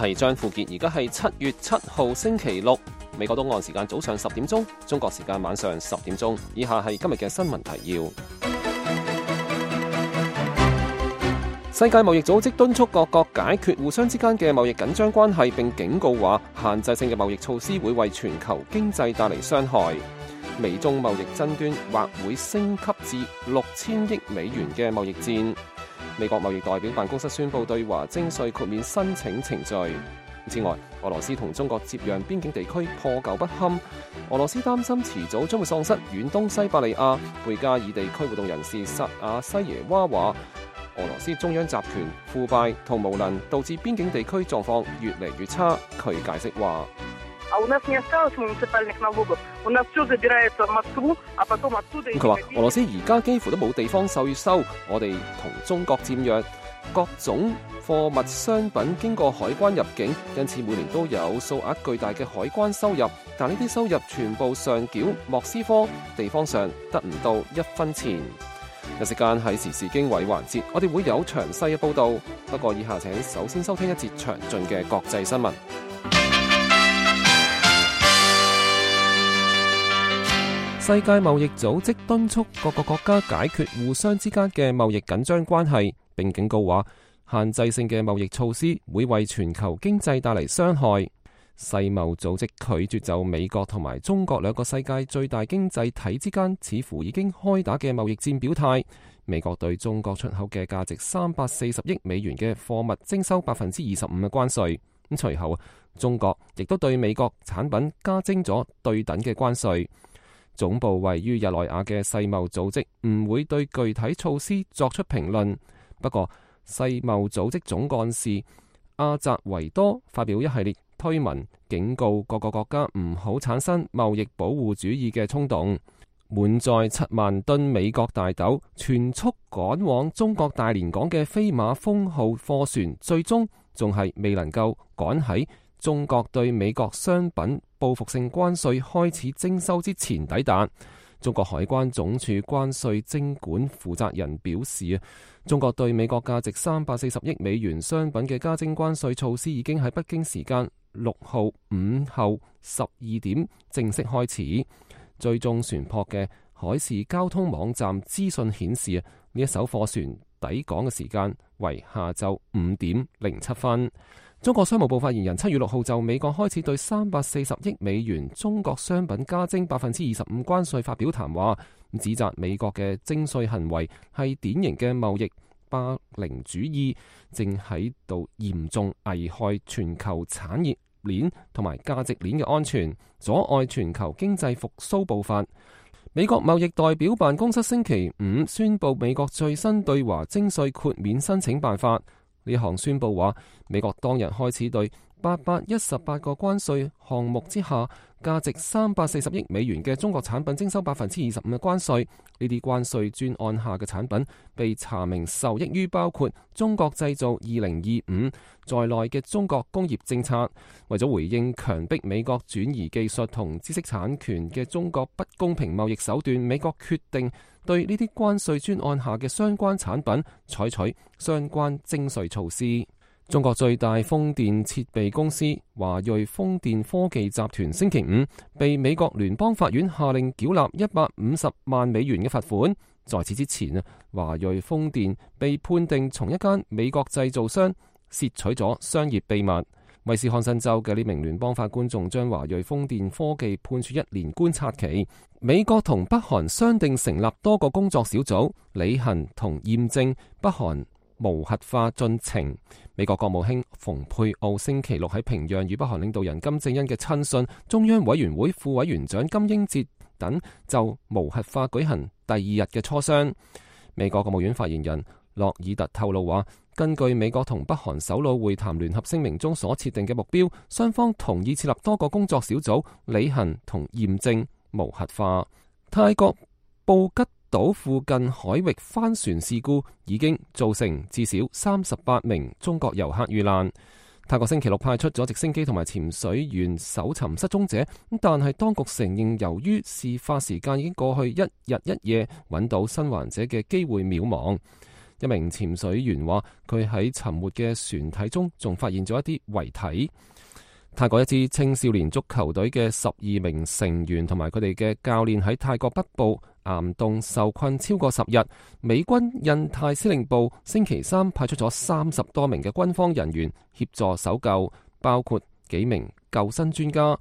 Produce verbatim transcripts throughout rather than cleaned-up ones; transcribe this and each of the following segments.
係張富傑，而家係七月七號星期六，美國東岸時間早上十點鐘，中國時間晚上十點鐘。以下係今日嘅新聞提要。世界貿易組織敦促各國解決互相之間嘅貿易緊張關係，並警告話限制性嘅貿易措施會為全球經濟帶嚟傷害。美中貿易爭端或會升級至六千億美元嘅貿易戰。美國貿易代表辦公室宣布對華徵稅豁免申請程序。此外，俄羅斯同中國接壤邊境地區破舊不堪，俄羅斯擔心遲早將會喪失遠東西伯利亞。貝加爾地區活動人士薩亞西耶娃話，俄羅斯中央集權腐敗同無能，導致邊境地區狀況越嚟越差。佢解釋話，佢話俄羅斯而家幾乎都冇地方稅收，我哋同中國佔約，各種貨物商品經過海關入境，因此每年都有數額巨大嘅海關收入，但呢啲收入全部上繳莫斯科，地方上得唔到一分錢。有時間係時事經緯環節，我哋會有詳細嘅報道。不過以下請首先收聽一節詳盡嘅國際新聞。世界貿易組織敦促各個國家解決互相之間嘅貿易緊張關係，並警告話限制性嘅貿易措施會為全球經濟帶嚟傷害。世貿組織拒絕就美國同埋中國兩個世界最大經濟體之間似乎已經開打嘅貿易戰表態。美國對中國出口嘅價值三百四十億美元嘅貨物徵收百分之二十五嘅關稅。咁隨後，中國亦都對美國產品加徵咗對等嘅關稅。總部位於日內瓦嘅世貿組織唔會對具體措施作出評論。不過，世貿組織總幹事阿扎維多發表一系列推文，警告各個國家唔好產生貿易保護主義嘅衝動。滿載七萬噸美國大豆全速趕往中國大連港嘅飛馬風號貨船，最終仲係未能夠趕喺中國對美國商品報復性關稅開始徵收之前抵達。中國海關總署關稅徵管負責人表示啊，中國對美國價值三百四十億美元商品嘅加徵關稅措施已經喺北京時間六號午後十二點正式開始。追蹤船舶嘅海事交通網站資訊顯示啊，呢一艘貨船抵港嘅時間為下晝五點零七分。中國商務部發言人七月六號就美國開始對三百四十億美元中國商品加徵百分之二十五關稅發表談話，指責美國嘅徵稅行為係典型嘅貿易霸凌主義，正喺度嚴重危害全球產業鏈同埋價值鏈嘅安全，阻礙全球經濟復甦步伐。美國貿易代表辦公室星期五宣布美國最新對華徵稅豁免申請辦法。呢項宣布話，美國當日開始對八百一十八個關稅項目之下，價值三百四十億美元嘅中國產品徵收百分之二十五嘅關稅。呢啲關稅專案下嘅產品被查明受益於包括中國製造二零二五在內嘅中國工業政策。為咗回應強迫美國轉移技術同知識產權嘅中國不公平貿易手段，美國決定對呢啲關稅專案下嘅相關產品採取相關徵稅措施。中國最大風電設備公司華瑞風電科技集團星期五被美國聯邦法院下令繳納一百五十萬美元嘅罰款。在此之前啊，華瑞風電被判定從一間美國製造商竊取咗商業秘密。威斯康辛州嘅呢名聯邦法官仲將華瑞風電科技判處一年觀察期。美國同北韓商定成立多個工作小組，履行同驗證北韓無核化進程。美國國務卿蓬佩奧星期六喺平壤與北韓領導人金正恩嘅親信、中央委員會副委員長金英哲等就無核化舉行第二日嘅磋商。美國國務院發言人洛爾特透露話，根據美國同北韓首腦會談聯合聲明中所設定嘅目標，雙方同意設立多個工作小組，履行同驗證無核化。泰國布吉島附近海域帆船事故已經造成至少三十八名中國遊客遇難。泰國星期六派出咗直升機同埋潛水員搜尋失蹤者，但係當局承認由於事發時間已經過去一日一夜，揾到生還者嘅機會渺茫。一名潛水員話，佢喺沉沒嘅船體中仲發現咗一啲遺體。泰國一支青少年足球隊嘅十二名成員同埋佢哋嘅教練喺泰國北部岩洞受困超過十日。美軍印太司令部星期三派出咗三十多名嘅軍方人員協助搜救，包括幾名救生專家。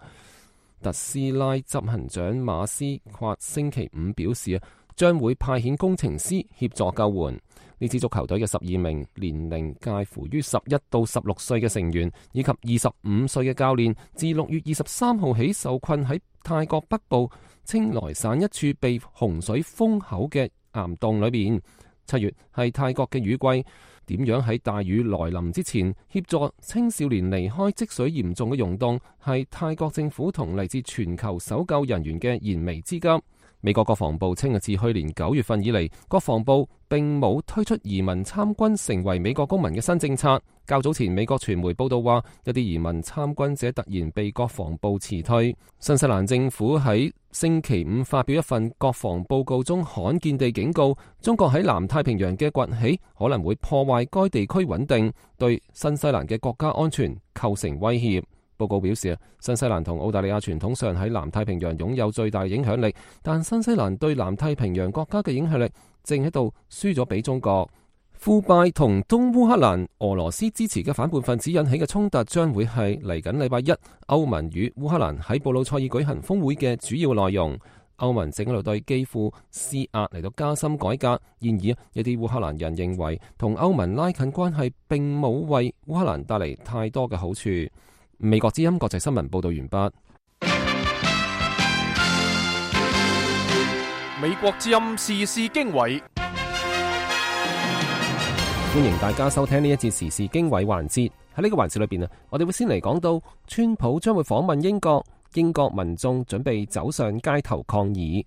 特斯拉執行長馬斯夸星期五表示啊，將會派遣工程師協助救援。呢支足球隊嘅十二名年齡介乎於十一到十六歲嘅成員，以及二十五歲嘅教練，自六月二十三號起受困喺泰國北部清萊省一處被洪水封口嘅岩洞裏邊。七月係泰國嘅雨季，點樣喺大雨來臨之前協助青少年離開積水嚴重嘅溶洞，係泰國政府同嚟自全球搜救人員嘅燃眉之急。美國國防部稱，自去年九月份以嚟，國防部並冇推出移民參軍成為美國公民嘅新政策。較早前，美國傳媒報道話，一啲移民參軍者突然被國防部辭退。新西蘭政府喺星期五發表一份國防報告中，罕見地警告，中國喺南太平洋嘅崛起可能會破壞該地區穩定，對新西蘭嘅國家安全構成威脅。報告表示，新西蘭同澳大利亞傳統上喺南太平洋擁有最大影響力，但新西蘭對南太平洋國家嘅影響力正喺度輸咗俾中國。腐敗同東烏克蘭俄羅斯支持嘅反叛分子引起嘅衝突，將會係嚟緊禮拜一歐盟與烏克蘭喺布魯塞爾舉行峰會嘅主要內容。歐盟正喺度對基輔施壓嚟到加深改革，然而一啲烏克蘭人認為同歐盟拉近關係並冇為烏克蘭帶嚟太多嘅好處。美國之音國際新聞報道完畢。美國之音時事經緯，歡迎大家收聽呢一節時事經緯環節。喺呢個環節裏邊啊，我哋會先嚟講到川普將會訪問英國，英國民眾準備走上街頭抗議。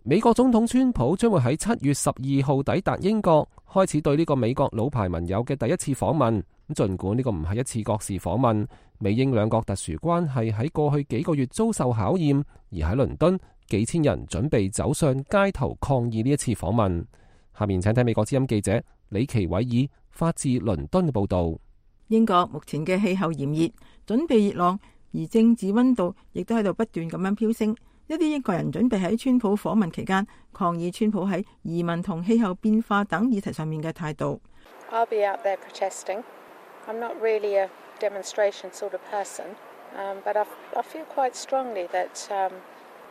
美國總統川普將會喺七月十二號抵達英國，開始對呢個美國老牌盟友嘅第一次訪問。咁儘管呢個唔係一次國事訪問，美英兩國特殊關係喺過去幾個月遭受考驗，而喺倫敦，幾千人準備走上街頭抗議呢一次訪問。下面請睇美國之音記者李奇偉爾發自倫敦嘅報道。英國目前嘅氣候炎熱，準備熱浪，而政治溫度亦都喺度不斷咁樣飆升。一啲英國人準備喺川普訪問期間抗議川普喺移民同氣候變化等議題上面嘅態度。I'll be out there protesting. I'm not really a demonstration sort of person, um, but I, I feel quite strongly that um,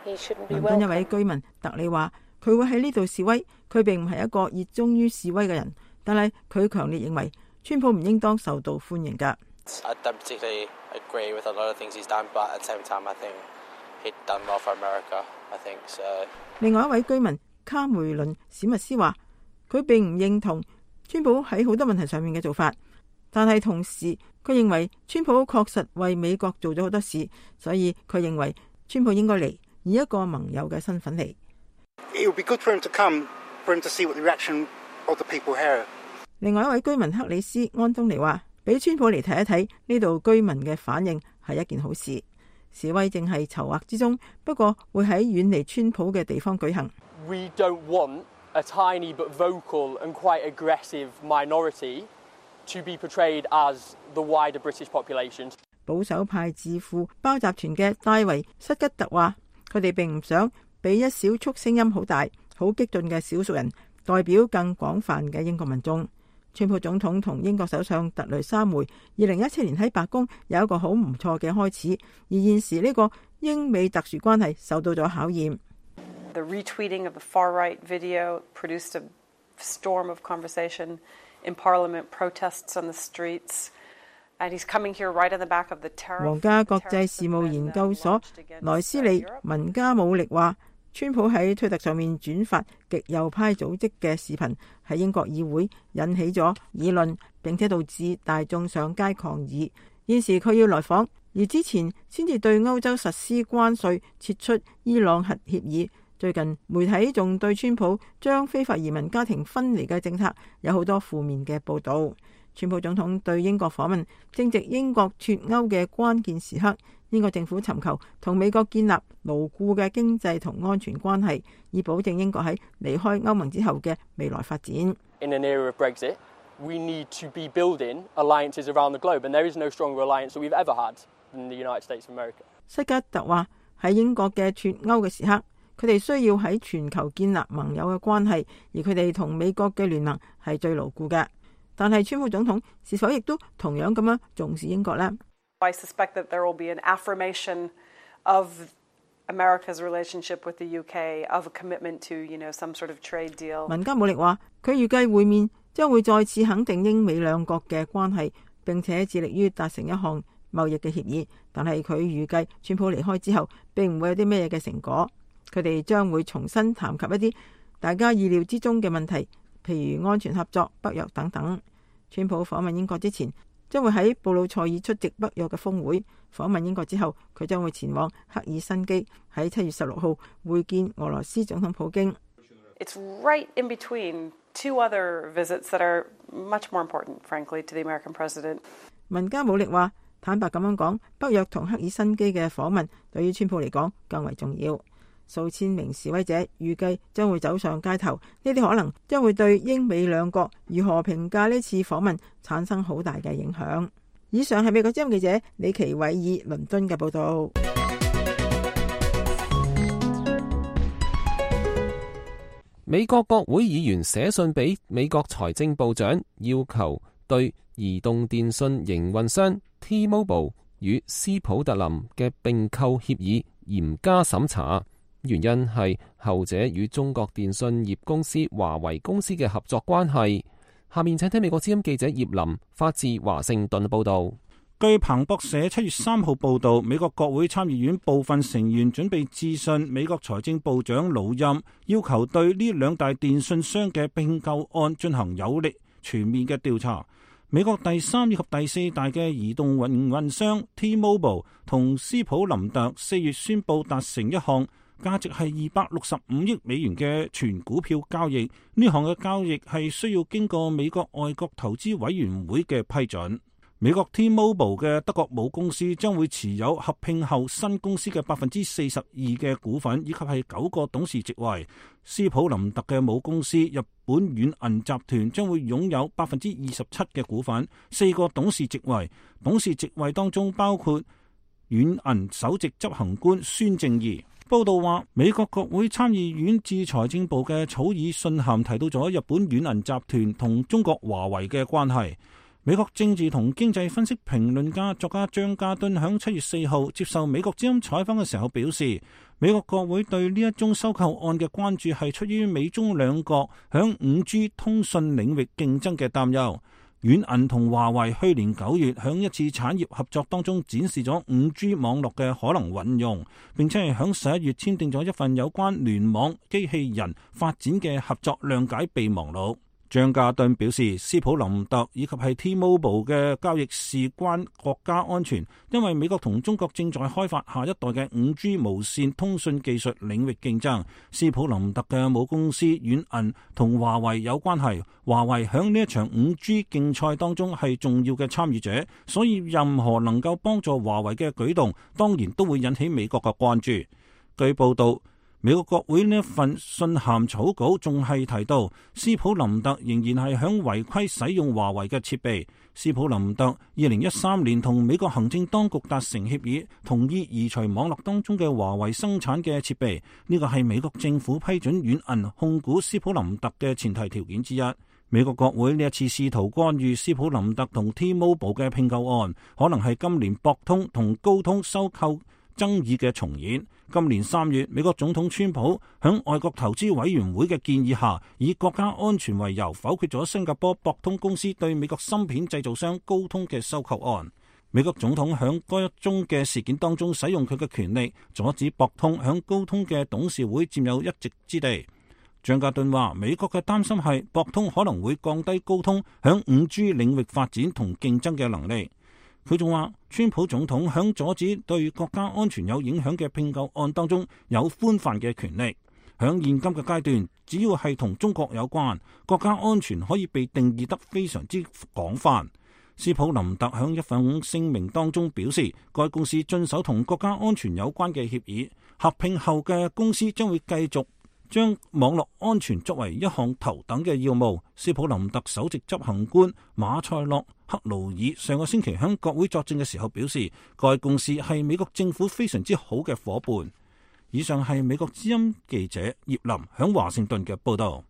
he shouldn't be welcome. 倫敦一位居民特里話：佢會喺呢度示威，佢並唔係一個熱衷於示威嘅人，但係佢強烈認為川普唔應當受到歡迎㗎。I don't particularly agree with a lot of things he's done, but at the same time, I think he'd done well for America. I think so. 另外一位居民卡梅倫史密斯話：佢並唔認同川普喺好多問題上面嘅做法。但係同時，佢認為川普確實為美國做咗好多事，所以佢認為川普應該嚟，以一個盟友嘅身份嚟。另外一位居民克里斯安東尼話：俾川普嚟睇一睇呢度居民嘅反應係一件好事。示威正係籌劃之中，不過會喺遠離川普嘅地方舉行。We don't want a tiny but vocal and quite aggressive minority to be portrayed as the wider British population. 保守派智庫包集團嘅戴維塞吉特話：佢哋並唔想俾一小撮聲音好大、好激進嘅少數人代表更廣泛嘅英國民眾。川普總統同英國首相特雷莎梅二零一七年喺白宮有一個好唔錯嘅開始，而現時呢個英美特殊關係受到咗考驗。The retweeting of the far-right video produced a storm of conversation in Parliament, protests on the streets, and he's coming here right on the back of the terror. 皇家國際事務研究所萊斯利文加姆力話：川普喺推特上面轉發極右派組織嘅視頻，喺英國議會引起咗議論，並且導致大眾上街抗議。現時佢要來訪，而之前先至對歐洲實施關稅，撤出伊朗核協議。最近媒體仲對川普將非法移民家庭分離嘅政策有好多負面嘅報導。川普總統對英國訪問正值英國脫歐嘅關鍵時刻，英國政府尋求同美國建立牢固嘅經濟同安全關係，以保證英國喺離開歐盟之後嘅未來發展。In an era of Brexit, we need to be building alliances around the globe, and there is no stronger alliance that we've ever had than the United States of America. 塞吉特話喺英國嘅脫歐嘅時刻，佢哋需要喺全球建立盟友嘅關係，而佢哋同美國嘅聯盟係最牢固嘅。但係川普總統是否亦都同樣咁樣重視英國呢？ I suspect that there will be an affirmation of America's relationship with the U K, of a commitment to, you know, some sort of trade deal. 文加姆力話，佢預計會面將會再次肯定英美兩國嘅關係，並且致力於達成一項貿易嘅協議。但係佢預計川普離開之後並唔會有啲咩嘅成果，佢哋將會重新談及一啲大家意料之中嘅問題，譬如安全合作、北約等等。川普訪問英國之前，將會喺布魯塞爾出席北約嘅峰會。訪問英國之後，佢將會前往赫爾辛基，喺七月十六號會見俄羅斯總統普京。It's right in between two other visits that are much more important, frankly, to the American president. 文加姆力話：坦白咁樣講，北約同赫爾辛基嘅訪問對於川普嚟講更為重要。數千名示威者預計將會走上街頭，呢啲可能將會對英美兩國如何評價呢次訪問產生好大嘅影響。以上係美國之音記者李奇偉爾倫敦嘅報道。美國國會議員寫信俾美國財政部長，要求對移動電信營運商 T-Mobile 與斯普特林嘅併購協議嚴加審查。原因係後者與中國電信業公司華為公司嘅合作關係。下面請聽美國之音記者葉林發自華盛頓報道。據彭博社七月三號報道，美國國會參議院部分成員準備致信美國財政部長魯欽，要求對呢兩大電信商嘅併購案進行有力全面嘅調查。美國第三以及第四大嘅移動營運商 T-Mobile 同斯普林特四月宣布達成一項價值係二百六十五億美元嘅全股票交易，呢項嘅交易係需要經過美國外國投資委員會嘅批准。美國 T-Mobile 嘅德國母公司將會持有合併後新公司嘅百分之四十二嘅股份，以及係九個董事席位。斯普林特嘅母公司日本軟銀集團將會擁有百分之二十七嘅股份，四個董事席位。董事席位當中包括軟銀首席執行官孫正義。報道話，美國國會參議院致財政部嘅草擬信函提到咗日本軟銀集團同中國華為嘅關係。美國政治同經濟分析評論家作家張家敦響七月四號接受美國之音採訪嘅時候表示，美國國會對呢一宗收購案嘅關注係出於美中兩國響五 G 通訊領域競爭嘅擔憂。軟銀同華為去年九月響一次產業合作當中展示咗五 G 網絡嘅可能運用，並且係響十一月簽訂咗一份有關聯網機器人發展嘅合作諒解備忘錄。張家敦表示，斯普林特以及係 T-Mobile 嘅交易事關國家安全，因為美國同中國正在開發下一代嘅五 G 無線通訊技術領域競爭。斯普林特嘅母公司軟銀同華為有關係，華為響呢一場五 G 競賽當中係重要嘅參與者，所以任何能夠幫助華為嘅舉動，當然都會引起美國嘅關注。據報道，美國國會呢一份信函草稿仲係提到，斯普林特仍然係響違規使用華為嘅設備。斯普林特二零一三年同美國行政當局達成協議，同意移除網絡當中嘅華為生產嘅設備。呢個係美國政府批准軟銀控股斯普林特嘅前提條件之一。美國國會呢一次試圖干預斯普林特同 T-Mobile 嘅併購案，可能係今年博通同高通收購爭議嘅重演。今年三月，美國總統川普響外國投資委員會嘅建議下，以國家安全為由否決咗新加坡博通公司對美國芯片製造商高通嘅收購案。美國總統響該一宗嘅事件當中使用佢嘅權力，阻止博通響高通嘅董事會佔有一席之地。張家敦話，美國嘅擔心係博通可能會降低高通響五 G 領域發展同競爭嘅能力。佢仲話，川普總統響阻止對國家安全有影響嘅併購案當中有寬泛嘅權力。響現今嘅階段，只要係同中國有關，國家安全可以被定義得非常之廣泛。斯普林特響一份聲明當中表示，該公司遵守同國家安全有關嘅協議，合併後嘅公司將會繼續將網絡安全作為一項頭等嘅要務。斯普林特首席執行官馬塞洛克勞爾上個星期向國會作證嘅時候表示，該公司係美國政府非常之好嘅夥伴。以上係美國之音記者葉林響華盛頓嘅報道。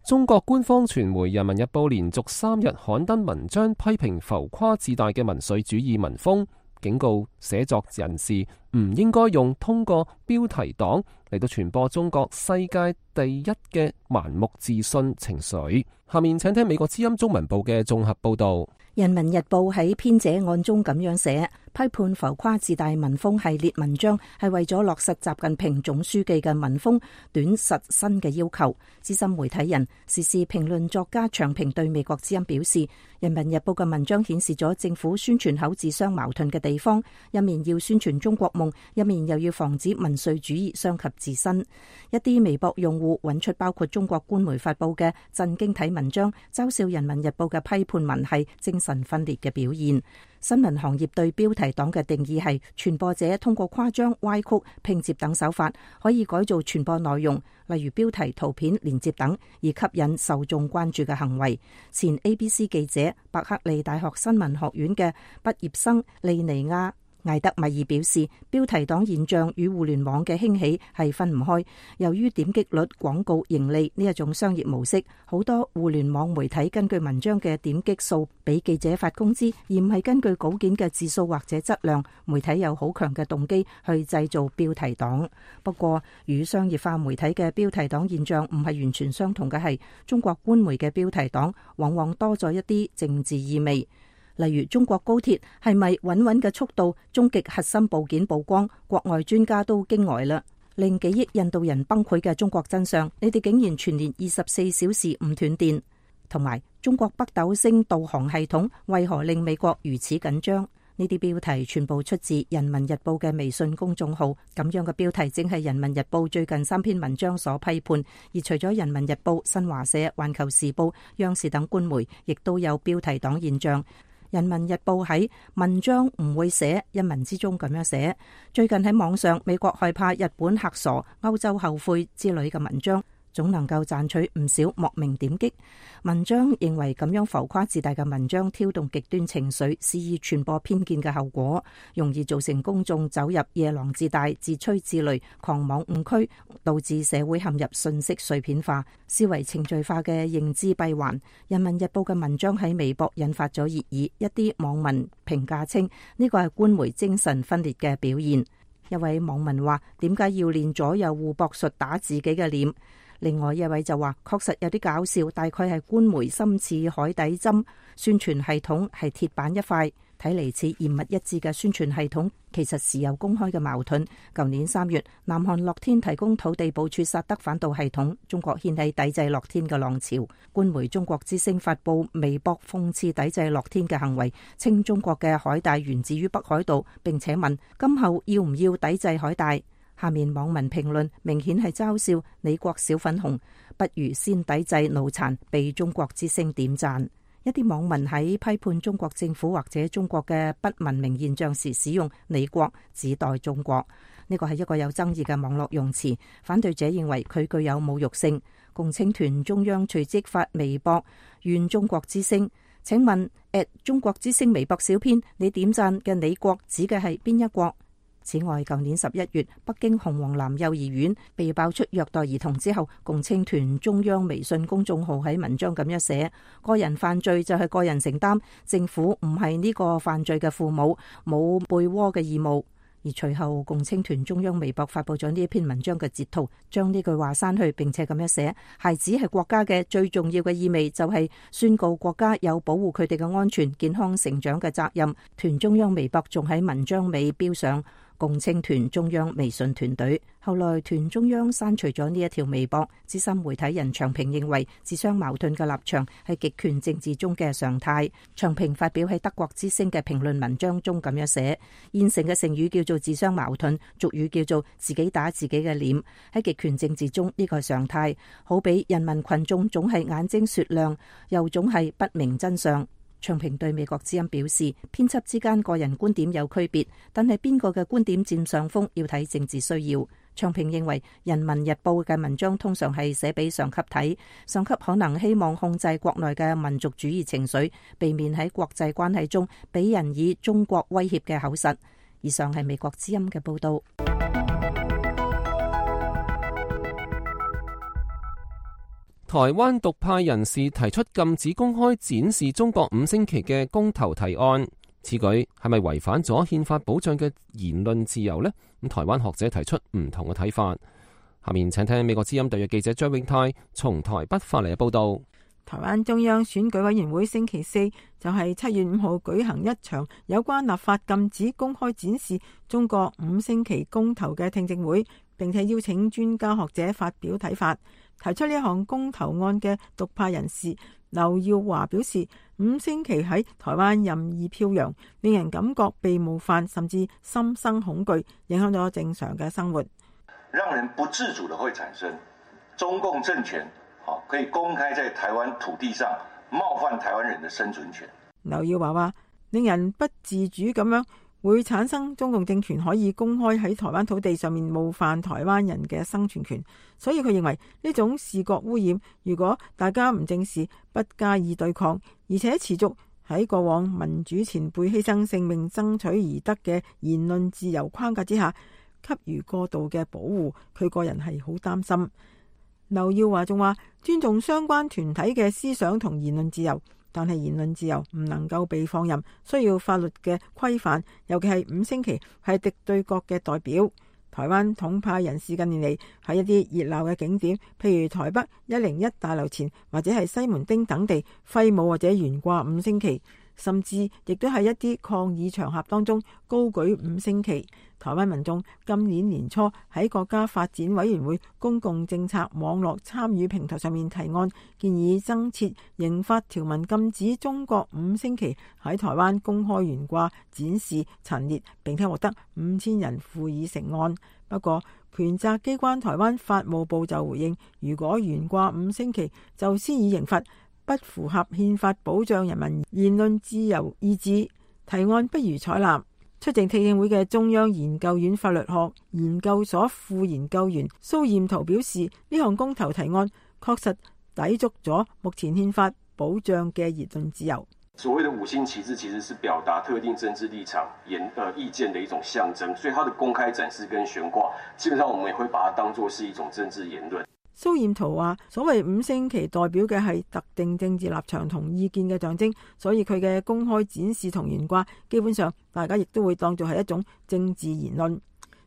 中國官方傳媒《人民日報》連續三日刊登文章，批評浮誇自大嘅民粹主義文風，警告寫作人士唔應該用通過標題黨嚟到傳播中國世界第一嘅盲目自信情緒。下面請聽美國之音中文部嘅綜合報道。人民日報喺編者案中咁樣寫，批判浮誇自大文風系列文章係為咗落實習近平總書記嘅文風短實新嘅要求。資深媒體人、時事評論作家長平對美國之音表示，人民日報嘅文章顯示咗政府宣傳口自相矛盾嘅地方，一面要宣傳中國夢，一面又要防止民粹主義傷及自身。一啲微博用戶揾出包括中國官媒發佈嘅震驚體文章，嘲笑人民日報嘅批判文係精神分裂嘅表現。新聞行業對標題黨嘅定義係傳播者通過誇張、歪曲、拼接等手法，可以改造傳播內容，例如標題、圖片、連接等，而吸引受眾關注嘅行為。前 A B C 記者、伯克利大學新聞學院嘅畢業生利尼亞艾德米爾表示，標題黨現象與互聯網嘅興起係分唔開。由於點擊率、廣告盈利呢一種商業模式，好多互聯網媒體根據文章嘅點擊數俾記者發工資，而唔係根據稿件嘅字數或者質量。媒體有好強嘅動機去製造標題黨。不過，與商業化媒體嘅標題黨現象唔係完全相同嘅係，中國官媒嘅標題黨往往多咗一啲政治意味。例如中國高鐵係咪穩穩嘅速度終極核心部件曝光，國外專家都驚呆啦。令幾億印度人崩潰嘅中國真相，你哋竟然全年二十四小時唔斷電，同埋中國北斗星導航系統為何令美國如此緊張？呢啲標題全部出自人民日報嘅微信公眾號，咁樣嘅標題正係人民日報最近三篇文章所批判。而除咗人民日報、新華社、環球時報、央視等官媒，亦都有標題黨現象。人民日報喺文章唔會寫一文之中咁樣寫，最近喺網上美國害怕日本嚇傻、歐洲後悔之類嘅文章，總能夠賺取唔少莫名點擊。文章認為咁樣浮誇自大嘅文章挑動極端情緒，肆意傳播偏見嘅後果，容易造成公眾走入夜郎自大、自吹自擂、狂妄誤區，導致社會陷入信息碎片化、思維程序化嘅認知閉環。人民日報嘅文章喺微博引發咗熱議，一啲網民評價稱呢個係官媒精神分裂嘅表現。一位網民話：點解要練左右互搏術打自己嘅臉？另外一位就話，確實有啲搞笑，大概係官媒心似海底針，宣傳系統係鐵板一塊，睇嚟似嚴密一致嘅宣傳系統，其實時有公開嘅矛盾。舊年三月，南韓樂天提供土地部署薩德反導系統，中國掀起抵制樂天嘅浪潮。官媒中國之聲發布微博諷刺抵制樂天嘅行為，稱中國嘅海帶源自於北海道，並且問今後要唔要抵制海帶。下面網民評論明顯係嘲笑你國小粉紅，不如先抵制腦殘，被中國之聲點讚。一啲網民喺批判中國政府或者中國嘅不文明現象時，使用你國指代中國，呢個係一個有爭議嘅網絡用詞。反對者認為佢具有侮辱性。共青團中央隨即發微博怨中國之聲，請問 at 中國之聲微博小編，你點讚嘅你國指嘅係邊一國？此外，舊年十一月，北京紅黃藍幼兒園被爆出虐待兒童之後，共青團中央微信公眾號喺文章咁樣寫：個人犯罪就係個人承擔，政府唔係呢個犯罪嘅父母，冇背鍋嘅義務。而隨後，共青團中央微博發布咗呢一篇文章嘅截圖，將呢句話刪去，並且咁樣寫：孩子係國家嘅最重要嘅意味，就係宣告國家有保護佢哋嘅安全、健康成長嘅責任。團中央微博仲喺文章尾標上：共青團中央微信團隊。後來團中央刪除咗呢一條微博。資深媒體人長平認為，自相矛盾嘅立場係極權政治中嘅常態。長平發表喺德國之聲嘅評論文章中咁樣寫：現成嘅成語叫做自相矛盾，俗語叫做自己打自己嘅臉。喺極權政治中呢個係常態，好比人民群眾總係眼睛雪亮，又總係不明真相。長平對美國之音表示，編輯之間個人觀點有區別，但係邊個嘅觀點佔上風要睇政治需要。長平認為，《人民日報》嘅文章通常係寫俾上級睇，上級可能希望控制國內嘅民族主義情緒，避免喺國際關係中俾人以中國威脅嘅口實。以上係美國之音嘅報道。台灣獨派人士提出禁止公開展示中國五星旗嘅公投提案，此舉係咪違反咗憲法保障嘅言論自由呢？咁台灣學者提出唔同嘅睇法。下面請聽美國之音特約記者張永泰從台北發嚟嘅報道。台灣中央選舉委員會星期四就係七月五號舉行一場有關立法禁止公開展示中國五星旗公投嘅聽證會，並且邀請專家學者發表睇法。提出呢項公投案嘅獨派人士劉耀華表示，五星旗喺台灣任意飄揚，令人感覺被冒犯，甚至心生恐懼，影響咗正常嘅生活。讓人不自主地會產生中共政權可以公開在台灣土地上冒犯台灣人的生存權。劉耀華話，令人不自主咁樣會產生中共政權可以公開喺台灣土地上面冒犯台灣人嘅生存權，所以佢認為呢種視覺污染，如果大家唔正視、不加以對抗，而且持續喺過往民主前輩犧牲性命爭取而得嘅言論自由框架之下給予過度嘅保護，佢個人係好擔心。劉耀華仲話，尊重相關團體嘅思想同言論自由，但係言論自由唔能夠被放任，需要法律嘅規範，尤其係五星旗係敵對國嘅代表。台灣統派人士近年嚟喺一啲熱鬧嘅景點，譬如台北一零一大樓前或者係西門町等地揮舞或者懸掛五星旗，甚至亦都喺一啲抗議場合當中高舉五星旗。台灣民眾今年年初喺國家發展委員會公共政策網絡參與平台上面提案，建議增設刑法條文，禁止中國五星旗喺台灣公開懸掛、展示、陳列，並且獲得五千人附議成案。不過，權責機關台灣法務部就回應，如果懸掛五星旗就施以刑罰，不符合憲法保障人民言論自由意志，提案不予採納。出席聽證會嘅中央研究院法律學研究所副研究員蘇彥圖表示，呢項公投提案確實抵觸咗目前憲法保障嘅言論自由。所謂的五星旗幟其實是表達特定政治立場、言呃意見的一種象徵，所以它的公開展示跟懸掛，基本上我們也會把它當作是一種政治言論。蘇彥圖話，所謂五星旗代表嘅係特定政治立場同意見嘅象徵，所以佢嘅公開展示同懸掛，基本上大家亦都會當作係一種政治言論。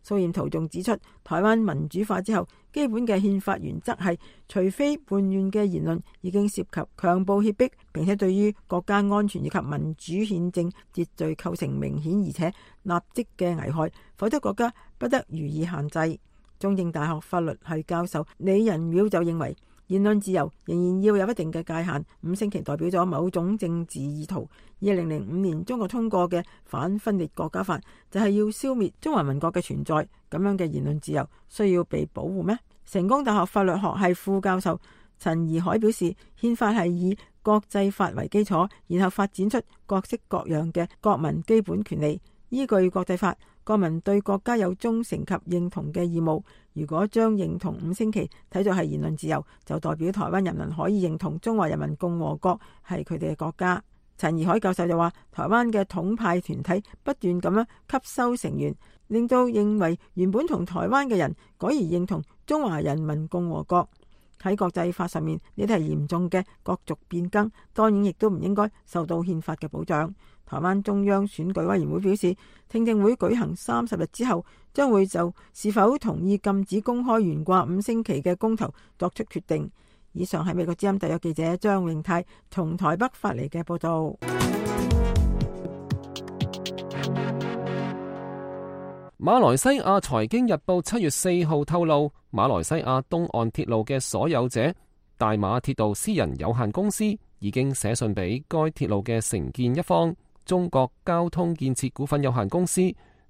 蘇彥圖仲指出，台灣民主化之後，基本嘅憲法原則係，除非叛亂嘅言論已經涉及強暴脅迫，並且對於國家安全以及民主憲政秩序構成明顯而且立即嘅危害，否則國家不得予以限制。中正大學法律系教授李仁淼就認為，言論自由仍然要有一定嘅界限。五星旗代表咗某種政治意圖。二零零五年中國通過嘅反分裂國家法就係要消滅中華民國嘅存在，咁樣嘅言論自由需要被保護咩？成功大學法律學系副教授陳怡海表示，憲法係以國際法為基礎，然後發展出各式各樣嘅國民基本權利。依據國際法，國民對國家有忠誠及認同嘅義務。如果將認同五星旗睇作係言論自由，就代表台灣人民可以認同中華人民共和國係佢哋嘅國家。陳怡海教授就話，台灣嘅統派團體不斷咁樣吸收成員，令到認為原本同台灣嘅人改而認同中華人民共和國。喺國際法上面，呢啲係嚴重嘅國族變更，當然亦都唔應該受到憲法嘅保障。台灣中央選舉委員會表示，聽證會舉行三十日之後，將會就是否同意禁止公開懸掛五星旗嘅公投作出決定。以上係美國之音特約記者張永泰從台北發嚟嘅報道。馬來西亞財經日報七月四號透露，馬來西亞東岸鐵路嘅所有者大馬鐵道私人有限公司已經寫信俾該鐵路嘅承建一方中國交通建設股份有限公司，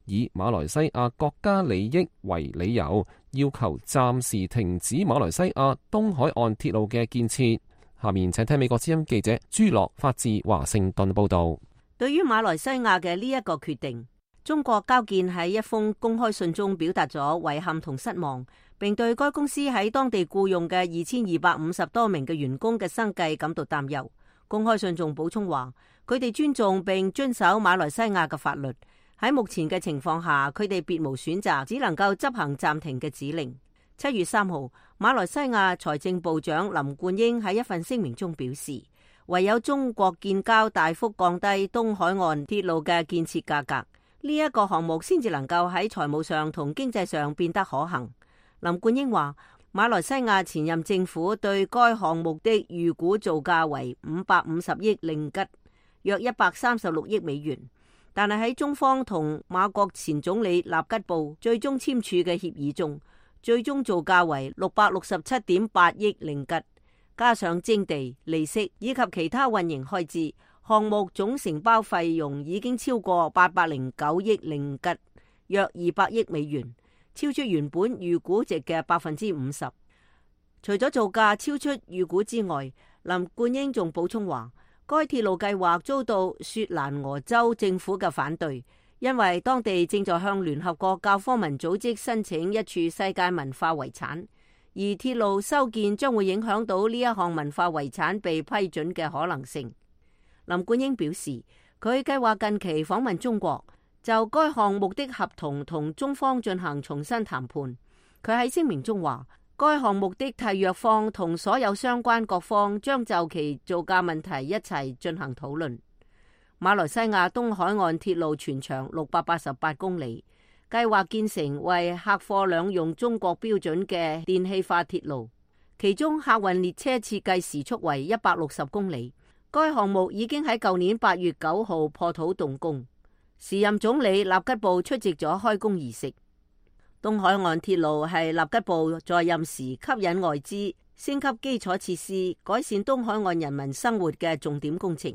以馬來西亞國家利益為理由，要求暫時停止馬來西亞東海岸鐵路嘅建設。下面請聽美國之音記者朱樂發自華盛頓報道。對於馬來西亞嘅呢一個決定，中國交建喺一封公開信中表達咗遺憾同失望，並對該公司喺當地僱用嘅二千二百五十多名嘅員工嘅生計感到擔憂。公開信仲補充話，佢哋尊重並遵守馬來西亞嘅法律，喺目前嘅情況下，佢哋別無選擇，只能夠執行暫停嘅指令。七月三號，馬來西亞財政部長林冠英喺一份聲明中表示，唯有中國建交大幅降低東海岸鐵路嘅建設價格，呢一個項目先至能夠喺財務上同經濟上變得可行。林冠英話，馬來西亞前任政府對該項目的預估造價為五百五十億令吉，約一百三十六億美元，但係喺中方同馬國前總理納吉布最終簽署嘅協議中，最終造價為六百六十七點八億令吉，加上徵地、利息以及其他運營開支，項目總承包費用已經超過八百零九億令吉，約二百億美元，超出原本預估值嘅百分之五十。除咗造價超出預估之外，林冠英仲補充話，該鐵路計劃遭到雪蘭莪州政府嘅反對，因為當地正在向聯合國教科文組織申請一處世界文化遺產，而鐵路修建將會影響到呢一項文化遺產被批准嘅可能性。林冠英表示，佢計劃近期訪問中國，就該項目的合同同中方進行重新談判。佢喺聲明中話，該項目的締約方同所有相關各方將就其造價問題一齊進行討論。馬來西亞東海岸鐵路全長六百八十八公里，計劃建成為客貨兩用中國標準嘅電氣化鐵路，其中客運列車設計時速為一百六十公里。該項目已經喺舊年八月九號破土動工，時任總理納吉布出席咗開工儀式。東海岸鐵路係納吉布在任時吸引外資、升級基礎設施、改善東海岸人民生活嘅重點工程，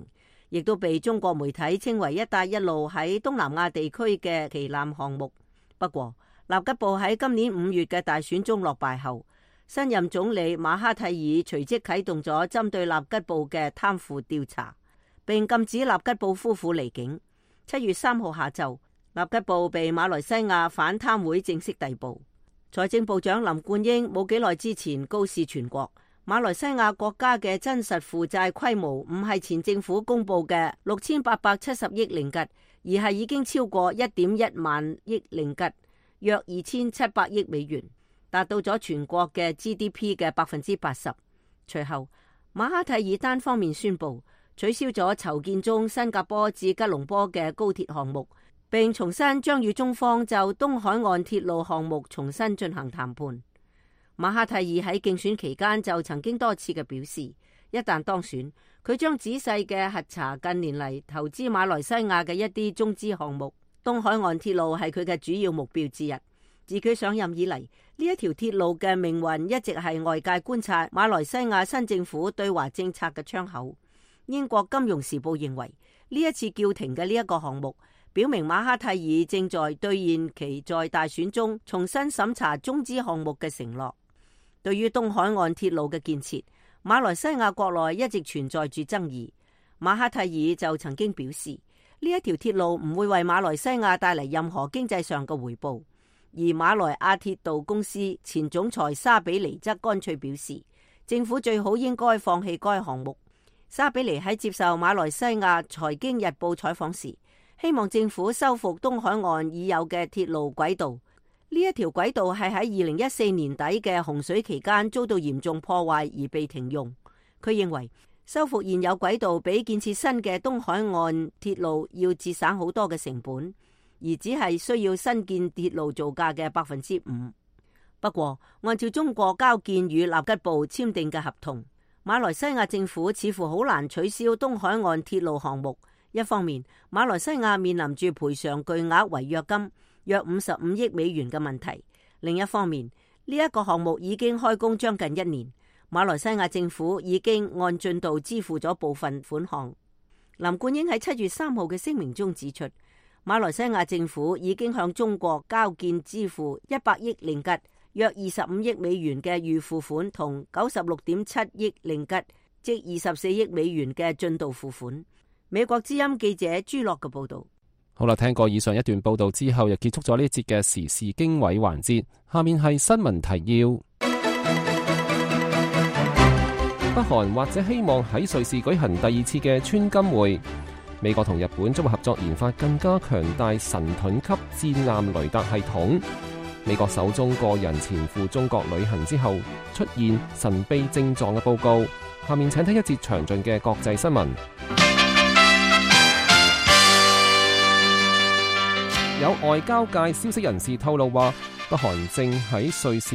亦都被中國媒體稱為一帶一路喺東南亞地區嘅旗艦項目。不過，納吉布喺今年五月嘅大選中落敗後，新任總理馬哈蒂爾隨即啟動咗針對納吉布嘅貪腐調查，並禁止納吉布夫婦離境。七月三號下晝，納吉布被馬來西亞反貪會正式逮捕。財政部長林冠英冇幾耐之前告示全國，馬來西亞國家嘅真實負債規模唔係前政府公布嘅六千八百七十億令吉，而係已經超過一點一萬億令吉，約二千七百億美元，達到咗全國嘅 G D P 嘅百分之八十。隨後，馬哈蒂爾單方面宣布取消咗籌建中新加坡至吉隆坡嘅高鐵項目，並重新將與中方就東海岸鐵路項目重新進行談判。馬哈蒂爾喺競選期間就曾經多次嘅表示，一旦當選，佢將仔細嘅核查近年嚟投資馬來西亞嘅一啲中資項目。東海岸鐵路係佢嘅主要目標之一。自佢上任以嚟，呢一條鐵路嘅命運一直係外界觀察馬來西亞新政府對華政策嘅窗口。英國金融時報認為，呢一次叫停嘅呢一個項目，表明馬哈蒂爾正在兌現其在大選中重新審查中資項目嘅承諾。對於東海岸鐵路嘅建設，馬來西亞國內一直存在住爭議。馬哈蒂爾就曾經表示，呢一條鐵路唔會為馬來西亞帶嚟任何經濟上嘅回報。而馬來亞鐵道公司前總裁沙比尼則乾脆表示，政府最好應該放棄該項目。沙比尼喺接受馬來西亞財經日報採訪時，希望政府修復東海岸已有嘅鐵路軌道。呢一條軌道係喺二零一四年底嘅洪水期間遭到嚴重破壞而被停用。佢認為修復現有軌道比建設新嘅東海岸鐵路要節省好多嘅成本，而只係需要新建鐵路造價嘅百分之五。不過，按照中國交建與納吉布簽訂嘅合同，馬來西亞政府似乎好難取消東海岸鐵路項目。一方面，馬來西亞面臨住賠償巨額違約金，約五十五億美元嘅問題。另一方面，呢一個項目已經開工將近一年，馬來西亞政府已經按進度支付咗部分款項。林冠英喺七月三號嘅聲明中指出，馬來西亞政府已經向中國交建支付一百億令吉，約二十五億美元嘅預付款同九十六點七億令吉，即二十四億美元嘅進度付款。美國之音記者朱樂嘅報道。好啦，聽過以上一段報道之後，又結束咗呢一節嘅時事經緯環節。下面係新聞提要。北韓或者希望喺瑞士舉行第二次嘅川金會。美國同日本將會合作研發更加強大神盾級戰艦雷達系統。美國首宗個人前赴中國旅行之後出現神秘症狀嘅報告。下面請睇一節詳盡嘅國際新聞。有外交界消息人士透露話，北韓正喺瑞士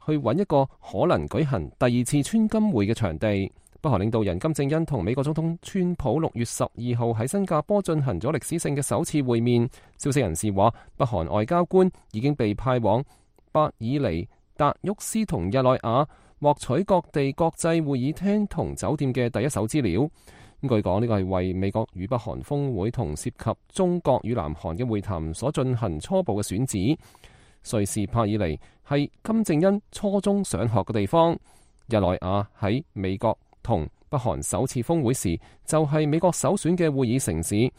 去揾一個可能舉行第二次川金會嘅場地。北韓領導人金正恩同美國總統川普六月十二號喺新加坡進行咗歷史性嘅首次會面。消息人士話，北韓外交官已經被派往伯爾尼、達沃斯同日內瓦，獲取各地國際會議廳同酒店嘅第一手資料。咁據講，呢個係為美國與北韓峰會同涉及中國與南韓嘅會談所進行初步嘅選址。瑞士柏爾尼係金正恩初中上學嘅地方，日內瓦喺美國同北韓首次峰會時就係美國首選嘅會議城市，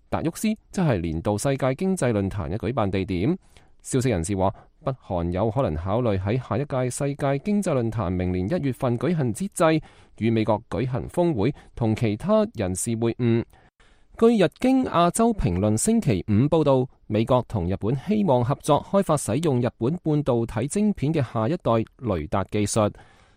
達沃斯則係年度世界經濟論壇嘅舉辦地點。消息人士話，北韓有可能考慮喺下一屆世界經濟論壇明年一月份舉行之際，與美國舉行峰會同其他人士會晤。據日經亞洲評論星期五報道，美國同日本希望合作開發使用日本半導體晶片嘅下一代雷達技術，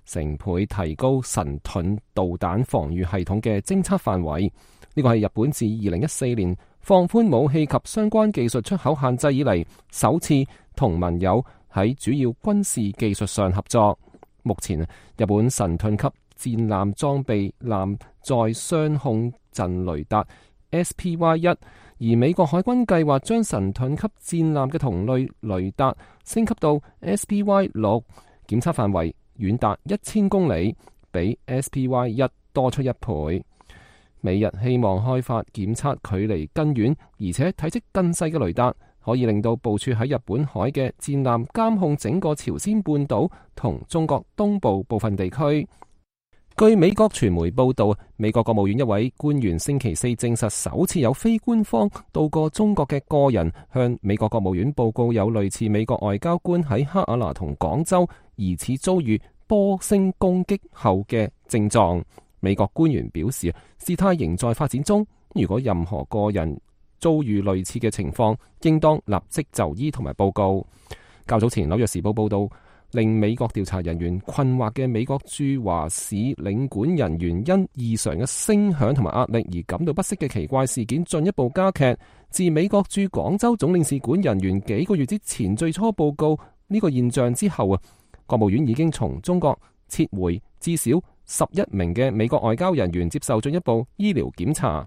成倍提高神盾導彈防禦系統嘅偵測範圍。呢個係日本自二零一四年放寬武器及相關技術出口限制以嚟首次同盟友喺主要軍事技術上合作。目前日本神盾級戰艦裝備艦載雙控陣雷達 S P Y 一，而美國海軍計劃將神盾級戰艦嘅同類雷達升級到 S P Y 六，檢測範圍遠達一千公里，比 S P Y 一多出一倍。美日希望開發檢測距離更遠而且體積更細嘅雷達，可以令到部署喺日本海嘅戰艦監控整個朝鮮半島同中國東部部分地區。據美國傳媒報道，美國國務院一位官員星期四證實，首次有非官方到過中國嘅個人向美國國務院報告有類似美國外交官喺克爾納同廣州疑似遭遇波星攻擊後嘅症狀。美國官員表示，事態仍在發展中，如果任何個人遭遇類似嘅情況，應當立即就醫同埋報告。較早前，紐約時報報道，令美國調查人員困惑嘅美國駐華使領館人員因異常嘅聲響同埋壓力而感到不適嘅奇怪事件進一步加劇。自美國駐廣州總領事館人員幾個月之前最初報告呢個現象之後啊，國務院已經從中國撤回至少十一名嘅美國外交人員接受進一步醫療檢查。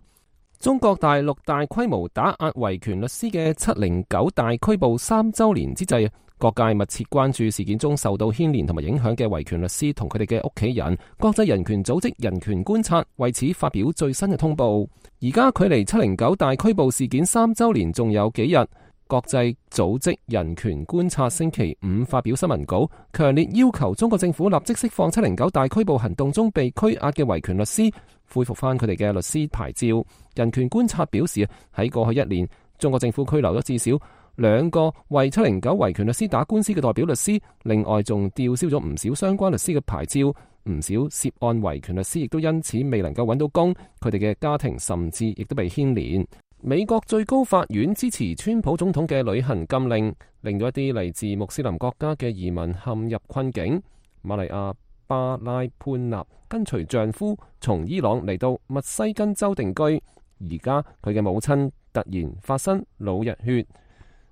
中國大陸大規模打壓維權律師嘅七零九大拘捕三週年之際，各界密切關注事件中受到牽連同埋影響嘅維權律師同佢哋嘅屋企人。國際人權組織人權觀察為此發表最新嘅通報。而家距離七零九大拘捕事件三週年仲有幾日。國際組織人權觀察星期五發表新聞稿，強烈要求中國政府立即釋放七零九大拘捕行動中被拘押嘅維權律師，恢復翻佢哋嘅律師牌照。人權觀察表示，喺過去一年，中國政府拘留咗至少兩個為七零九維權律師打官司嘅代表律師，另外仲吊銷咗唔少相關律師嘅牌照。唔少涉案維權律師亦都因此未能夠揾到工，佢哋嘅家庭甚至亦都被牽連。美國最高法院支持川普總統嘅旅行禁令，令到一啲嚟自穆斯林國家嘅移民陷入困境。瑪麗亞巴拉潘納跟隨丈夫從伊朗嚟到密西根州定居，而家佢嘅母親突然發生腦溢血，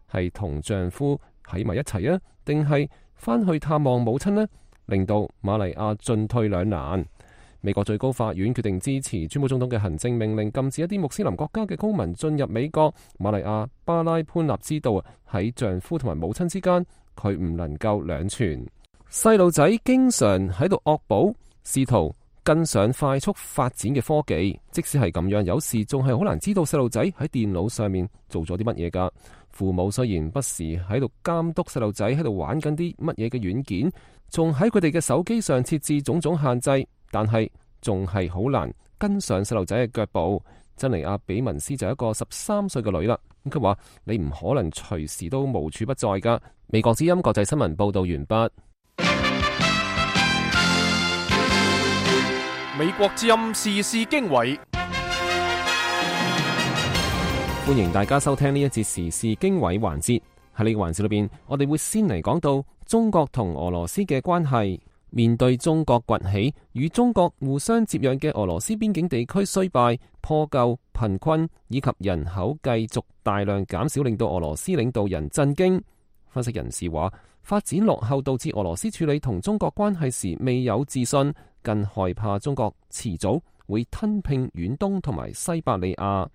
係同丈夫喺埋一齊啊，定係翻去探望母親呢？令到瑪麗亞進退兩難。美國最高法院決定支持川普總統嘅行政命令，禁止一啲穆斯林國家嘅公民進入美國。瑪麗亞巴拉潘納知道喺丈夫同埋母親之間，佢唔能夠兩全。細路仔經常喺度惡補，試圖跟上快速發展嘅科技。即使係咁樣，有時仲係好難知道細路仔喺電腦上面做咗啲乜嘢㗎。父母雖然不時喺度監督細路仔喺度玩緊啲乜嘢嘅軟件，仲喺佢哋嘅手機上設置種種限制，但係仲係好難跟上細路仔嘅腳步。珍妮亞比文斯就係一個十三歲嘅女啦。咁佢話：你唔可能隨時都無處不在㗎。美國之音國際新聞報道完畢。美國之音時事經緯，歡迎大家收聽呢一節時事經緯環節。喺呢個環節裏邊，我哋會先嚟講到中國同俄羅斯嘅關係。面對中國崛起，與中國互相接壤嘅俄羅斯邊境地區衰敗、破舊、貧困以及人口繼續大量減少，令到俄羅斯領導人震驚。分析人士話，發展落後導致俄羅斯處理同中國關係時未有自信，更害怕中國遲早會吞併遠東同埋西伯利亞。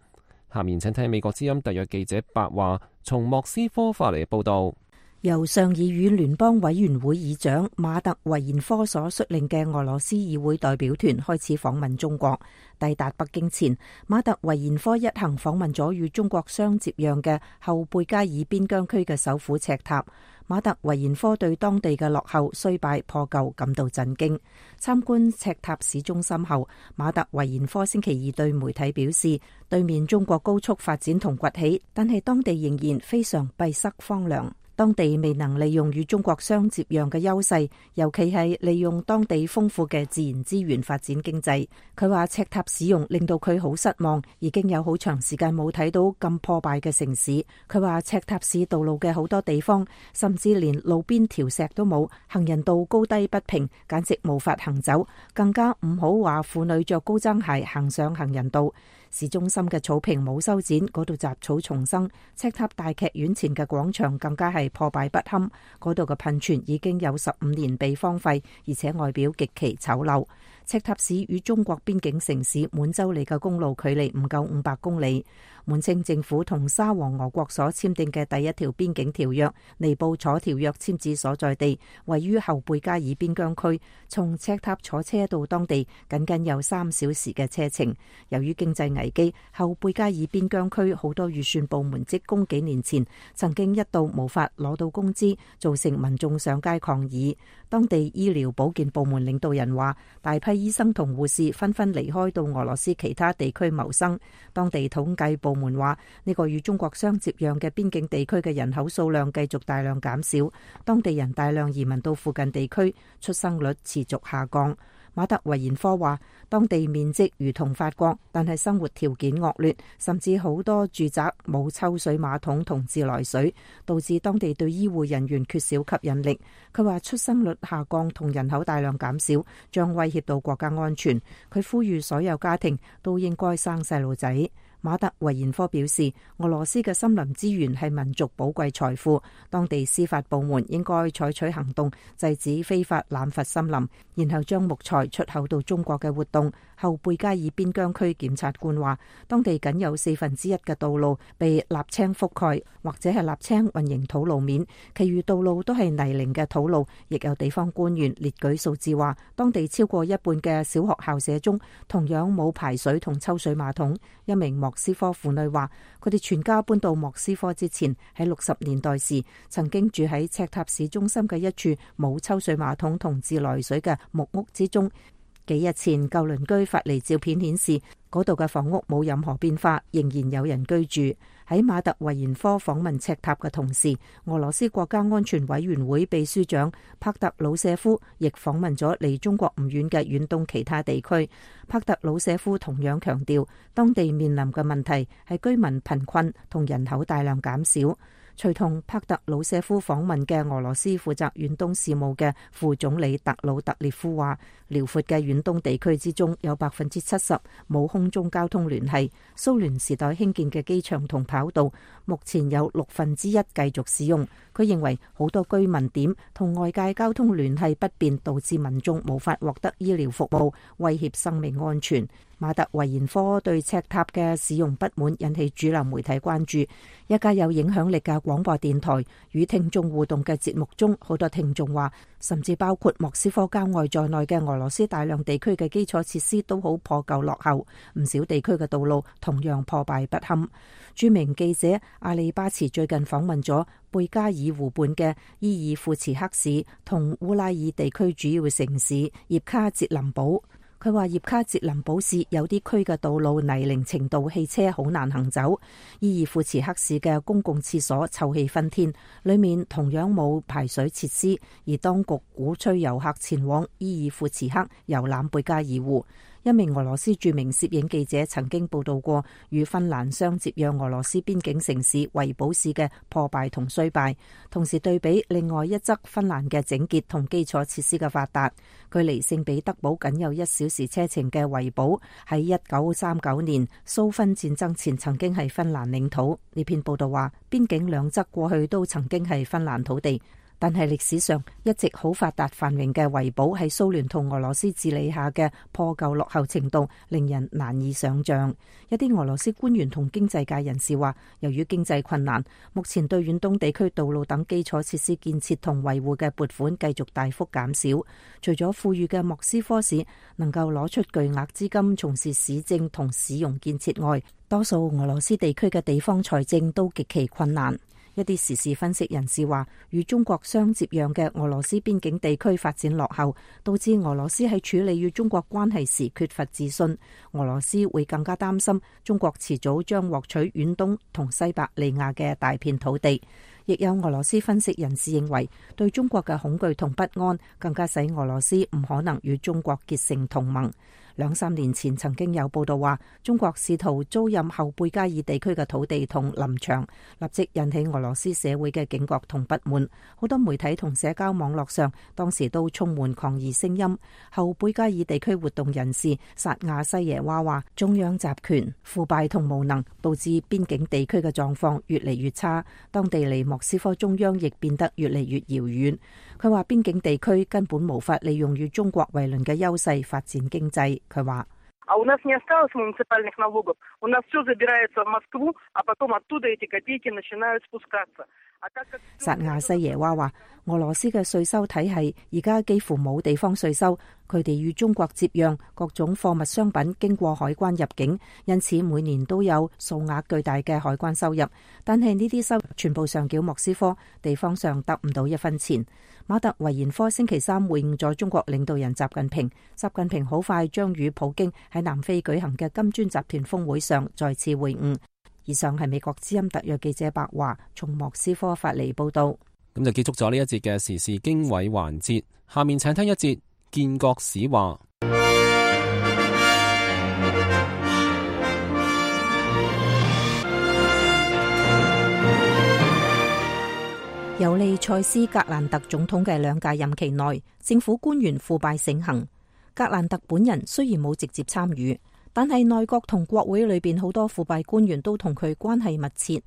下面請聽美國之音特約記者白話從莫斯科發嚟嘅報道。由上議院聯邦委員會議長馬特維延科所率領嘅俄羅斯議會代表團開始訪問中國。抵達北京前，馬特維延科一行訪問咗與中國相接壤嘅後貝加爾邊疆區嘅首府赤塔。馬特維延科對當地嘅落後、衰敗、破舊感到震驚。參觀赤塔市中心後，馬特維延科星期二對媒體表示，對面中國高速發展同崛起，但係當地仍然非常閉塞荒涼。當地未能利用與中國相接壤嘅優勢，尤其係利用當地豐富嘅自然資源發展經濟。佢話赤塔使用令到佢好失望，已經有好長時間冇睇到咁破敗嘅城市。佢話赤塔市道路嘅好多地方，甚至連路邊條石都冇，行人道高低不平，簡直無法行走。更加唔好話婦女着高踭鞋行上行人道。市中心嘅草坪冇修剪，嗰度雜草叢生。赤塔大劇院前嘅廣場更加係破敗不堪，嗰度嘅噴泉已經有十五年被荒廢，而且外表極其醜陋。赤塔市與中國邊境城市滿洲里嘅公路距離唔夠五百公里。滿清政府同沙皇俄國所簽訂嘅第一條邊境條約尼布楚條約簽字所在地位於後貝加爾邊疆區，從赤塔坐車到當地僅僅有三小時嘅車程。由於經濟危機，後貝加爾邊疆區好多預算部門職工幾年前曾經一度無法攞到工資，造成民眾上街抗議。當地醫療保健部門領導人話，大批醫生同護士紛紛離開到俄羅斯其他地區謀生。當地統計部門話，呢個與中國相接壤嘅邊境地區嘅人口數量繼續大量減少，當地人大量移民到附近地區，出生率持續下降。馬特維延科話，當地面積如同法國，但係生活條件惡劣，甚至好多住宅冇抽水馬桶同自來水，導致當地對醫護人員缺少吸引力。佢話出生率下降同人口大量減少，將威脅到國家安全。佢呼籲所有家庭都應該生細路仔。馬特維延科表示，俄羅斯嘅森林資源係民族寶貴財富，當地司法部門應該採取行動，制止非法濫伐森林，然後將木材出口到中國嘅活動。後貝加爾邊疆區檢察官話，當地僅有四分之一嘅道路被瀝青覆蓋，或者係瀝青混凝土路面，其餘道路都係泥濘嘅土路。亦有地方官員列舉數字話，當地超過一半嘅小學校舍中同樣冇排水同抽水馬桶。一名莫斯科婦女話，佢哋全家搬到莫斯科之前，喺六十年代時曾經住喺赤塔市中心嘅一處冇抽水馬桶同自來水嘅木屋之中。幾日前，舊鄰居發嚟照片顯示，嗰度嘅房屋冇任何變化，仍然有人居住。喺馬特維延科訪問赤塔嘅同時，俄羅斯國家安全委員會秘書長帕特魯舍夫亦訪問咗離中國唔遠嘅遠東其他地區。帕特魯舍夫同樣強調，當地面臨嘅問題係居民貧困同人口大量減少。隨同帕特魯舍夫訪問嘅俄羅斯負責遠東事務嘅副總理特魯特列夫話，遼闊嘅遠東地區之中有百分之七十冇空中交通聯繫，蘇聯時代興建嘅機場同跑道目前有六分之一繼續使用。佢認為好多居民點同外界交通聯繫不便，導致民眾無法獲得醫療服務，威脅生命安全。馬特維延科對赤塔嘅使用不滿，引起主流媒體關注。一家有影響力嘅廣播電台與聽眾互動嘅節目中，好多聽眾話，甚至包括莫斯科郊外在內嘅俄羅斯大量地區嘅基礎設施都好破舊落後，唔少地區嘅道路同樣破敗不堪。著名記者阿里巴茨最近訪問咗貝加爾湖畔嘅伊爾庫茨克市同烏拉爾地區主要城市葉卡捷林堡。佢話葉卡捷林堡市有啲區嘅道路泥濘程度，汽車好難行走。伊爾庫茨克市嘅公共廁所臭氣熏天，裏面同樣冇排水設施，而當局鼓吹遊客前往伊爾庫茨克遊覽貝加爾湖。一名俄羅斯著名攝影記者曾經報道過與芬蘭相接壤俄羅斯邊境城市維堡市嘅破敗同衰敗，同時對比另外一側芬蘭嘅整潔同基礎設施嘅發達。距離聖彼得堡僅有一小時車程嘅維堡，喺一九三九年蘇芬戰爭前曾經係芬蘭領土。呢篇報道話，邊境兩側過去都曾經係芬蘭土地。但係歷史上一直好發達繁榮嘅維堡喺蘇聯同俄羅斯治理下嘅破舊落後程度令人難以想像。一啲俄羅斯官員同經濟界人士話，由於經濟困難，目前對遠東地區道路等基礎設施建設同維護嘅撥款繼續大幅減少。除咗富裕嘅莫斯科市能夠攞出巨額資金從事市政同市容建設外，多數俄羅斯地區嘅地方財政都極其困難。一啲時事分析人士話，與中國相接壤嘅俄羅斯邊境地區發展落後，導致俄羅斯喺處理與中國關係時缺乏自信。俄羅斯會更加擔心中國遲早將獲取遠東同西伯利亞嘅大片土地。亦有俄羅斯分析人士認為，對中國嘅恐懼同不安，更加使俄羅斯唔可能與中國結成同盟。兩三年前曾經有報道話，中國試圖租賃後貝加爾地區嘅土地同林場，立即引起俄羅斯社會嘅警覺同不滿。好多媒體同社交網絡上當時都充滿抗議聲音。後貝加爾地區活動人士薩亞西耶娃話，中央集權、腐敗同無能導致邊境地區嘅狀況越嚟越差，當地離莫斯科中央亦變得越嚟越遙遠。佢話邊境地區根本無法利用與中國為鄰嘅優勢發展經濟。佢話：薩亞西耶娃話，俄羅斯嘅稅收體系而家幾乎冇地方稅收，佢哋與中國接壤，各種貨物商品經過海關入境，因此每年都有數額巨大嘅海關收入。但係呢啲收入全部上繳莫斯科，地方上得唔到一分錢。馬特維延科星期三會晤咗中國領導人習近平，習近平好快將與普京喺南非舉行嘅金磚集團峰會上再次會晤。以上係美國之音特約記者白華從莫斯科發嚟報道。咁就結束咗呢一節嘅時事經緯環節，下面請聽一節建國史話。尤利塞斯格蘭特總統嘅兩屆任期內，政府官員腐敗盛行。格蘭特本人雖然冇直接參與，但係內閣同國會裏邊好多腐敗官員都同佢關係密切。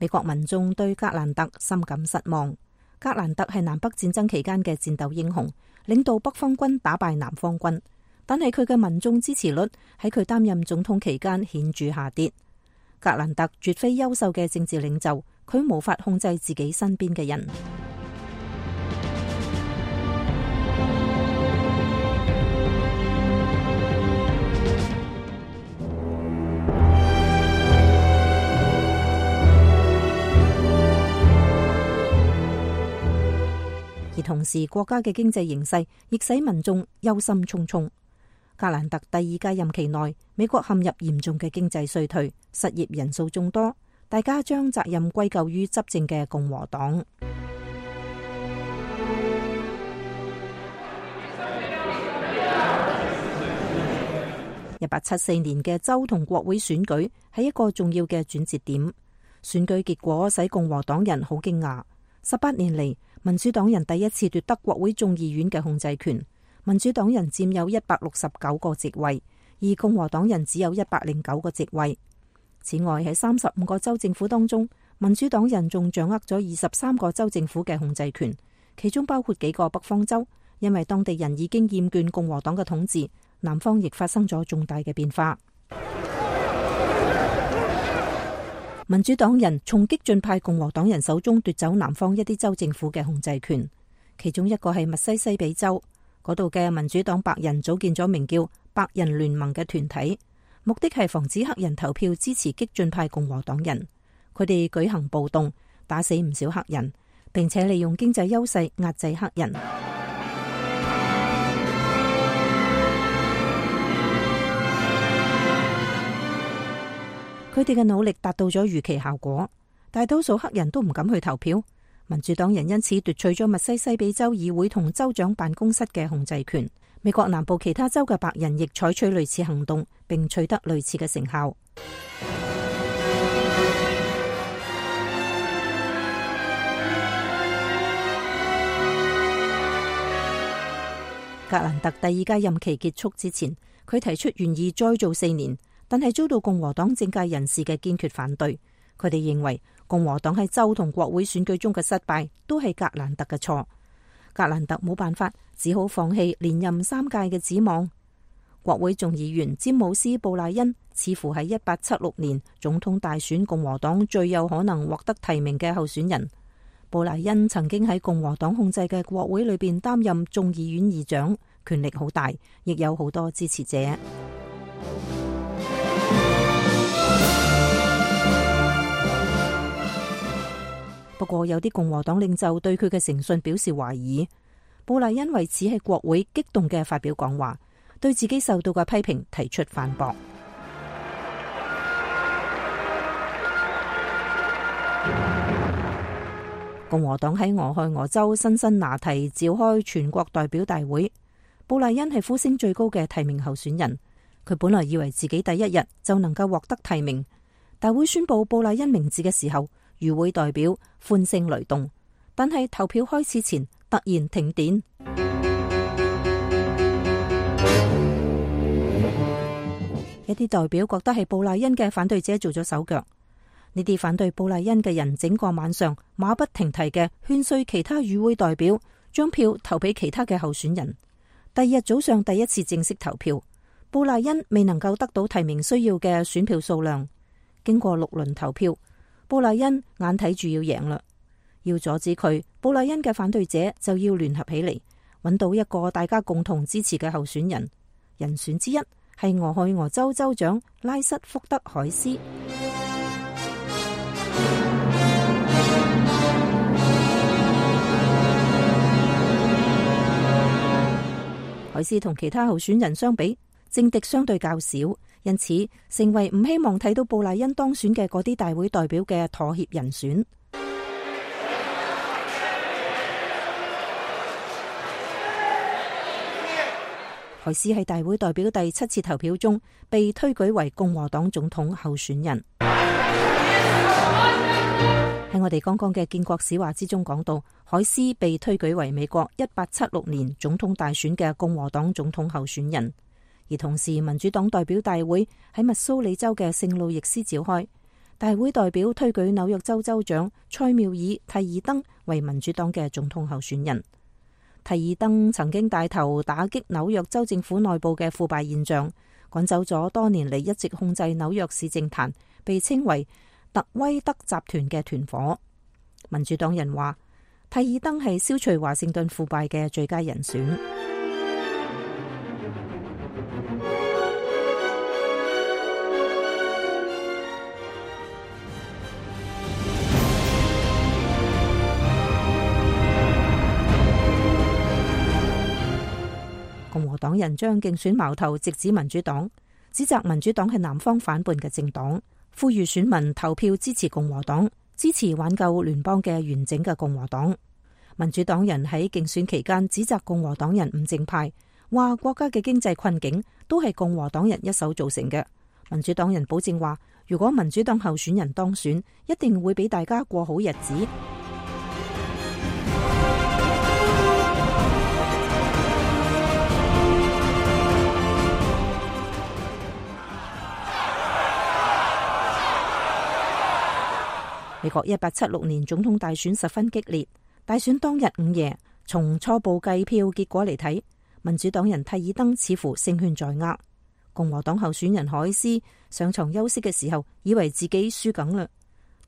美國民眾對格蘭特深感失望。格蘭特係南北戰爭期間嘅戰鬥英雄，領導北方軍打敗南方軍，但係佢嘅民眾支持率喺佢擔任總統期間顯著下跌。格蘭特絕非優秀嘅政治領袖，佢無法控制自己身邊嘅人。而同時，國家嘅經濟形勢亦使民眾憂心忡忡。格蘭特第二屆任期內，美國陷入嚴重嘅經濟衰退，失業人數眾多，大家將責任歸咎於執政嘅共和黨。一八七四年嘅州同國會選舉係一個重要嘅轉折點。選舉結果使共和黨人好驚訝。十八年嚟，民主黨人第一次奪得國會眾議院嘅控制權，民主黨人佔有一百六十九個席位，而共和黨人只有一百零九個席位。此外，喺三十五個州政府當中，民主黨人仲掌握咗二十三個州政府嘅控制權，其中包括幾個北方州。因為當地人已經厭倦共和黨嘅統治，南方亦發生咗重大嘅變化。民主黨人從激進派共和黨人手中奪走南方一啲州政府嘅控制權，其中一個係密西西比州，嗰度嘅民主黨白人組建咗名叫白人聯盟嘅團體，目的係防止黑人投票支持激進派共和黨人。佢哋舉行暴動，打死唔少黑人，並且利用經濟優勢壓制黑人。佢哋嘅努力達到咗預期效果，大多數黑人都唔敢去投票。民主黨人因此奪取咗密西西比州議會同州長辦公室嘅控制權。美國南部其他州嘅白人亦採取類似行動，並取得類似嘅成效。格蘭特第二屆任期結束之前，佢提出願意再做四年。但係遭到共和黨政界人士嘅堅決反對，佢哋認為共和黨喺州同國會選舉中嘅失敗都係格蘭特嘅錯。格蘭特冇辦法，只好放棄連任三屆嘅指望。國會眾議員詹姆斯布賴恩似乎係一八七六年總統大選共和黨最有可能獲得提名嘅候選人。布賴恩曾經喺共和黨控制嘅國會裏邊擔任眾議院議長，權力好大，亦有好多支持者。不過有啲共和黨領袖對佢嘅誠信表示懷疑。布賴恩為此喺國會激動嘅發表講話，對自己受到嘅批評提出反駁。共和黨喺俄亥俄州辛辛那提召開全國代表大會，布賴恩係呼聲最高嘅提名候選人。佢本來以為自己第一日就能夠獲得提名，大會宣布布賴恩名字嘅時候，與會代表歡聲雷動，但係投票開始前突然停電。一啲代表覺得係布賴恩嘅反對者做咗手腳，呢啲反對布賴恩嘅人整個晚上馬不停蹄嘅勸說其他與會代表將票投俾其他嘅候選人。第二日早上第一次正式投票，布賴恩未能夠得到提名需要嘅選票數量。經過六輪投票，布賴恩眼睇住要贏啦，要阻止佢，布賴恩嘅反對者就要聯合起嚟，揾到一個大家共同支持嘅候選人。人選之一係俄亥俄州州長拉瑟福德海斯。海斯同其他候選人相比，政敵相對較少，因此成為唔希望睇到布賴恩當選嘅嗰啲大會代表嘅妥協人選。海斯喺大會代表第七次投票中被推舉為共和黨總統候選人。喺我哋剛剛嘅建國史話之中講到，海斯被推舉為美國一八七六年總統大選嘅共和黨總統候選人。而同時，民主黨代表大會喺密蘇里州嘅聖路易斯召開，大會代表推舉紐約州州長塞繆爾蒂爾登為民主黨嘅總統候選人。蒂爾登曾經帶頭打擊紐約州政府內部嘅腐敗現象，趕走咗多年嚟一直控制紐約市政壇，被稱為特威德集團嘅團伙。民主黨人話，蒂爾登係消除華盛頓腐敗嘅最佳人選。共和黨人將競選矛頭直指民主黨，指責民主黨係南方反叛嘅政黨，呼籲選民投票支持共和黨，支持挽救聯邦嘅完整嘅共和黨。民主黨人喺競選期間指責共和黨人唔正派，話國家嘅經濟困境都係共和黨人一手造成嘅。民主黨人保證話，如果民主黨候選人當選，一定會俾大家過好日子。美國一八七六年總統大選十分激烈，大選當日午夜，從初步計票結果嚟睇，民主黨人蒂爾登似乎勝券在握。共和黨候選人海斯上床休息嘅時候，以為自己輸梗啦，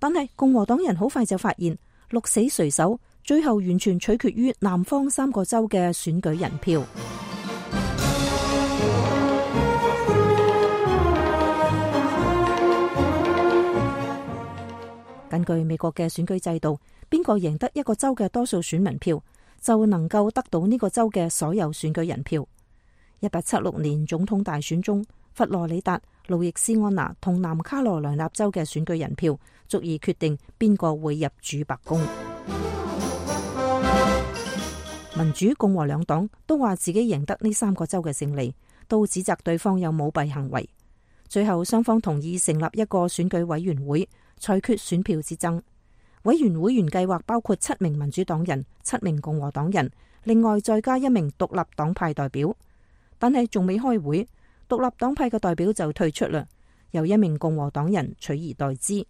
但係共和黨人好快就發現鹿死誰手，最後完全取決於南方三個州嘅選舉人票。根據美國嘅選舉制度，邊個贏得一個州嘅多數選民票，就能夠得到呢個州嘅所有選舉人票。一八七六年總統大選中，佛羅里達、路易斯安那同南卡羅來納州嘅選舉人票足以決定邊個會入主白宮。民主共和兩黨都話自己贏得呢三個州嘅勝利，都指責對方有舞弊行為。最後雙方同意成立一個選舉委員會，裁決選票之爭。委員會原計劃包括七名民主黨人、七名共和黨人，另外再加一名獨立黨派代表。但係仲未開會，獨立黨派嘅代表就退出啦，由一名共和黨人取而代之。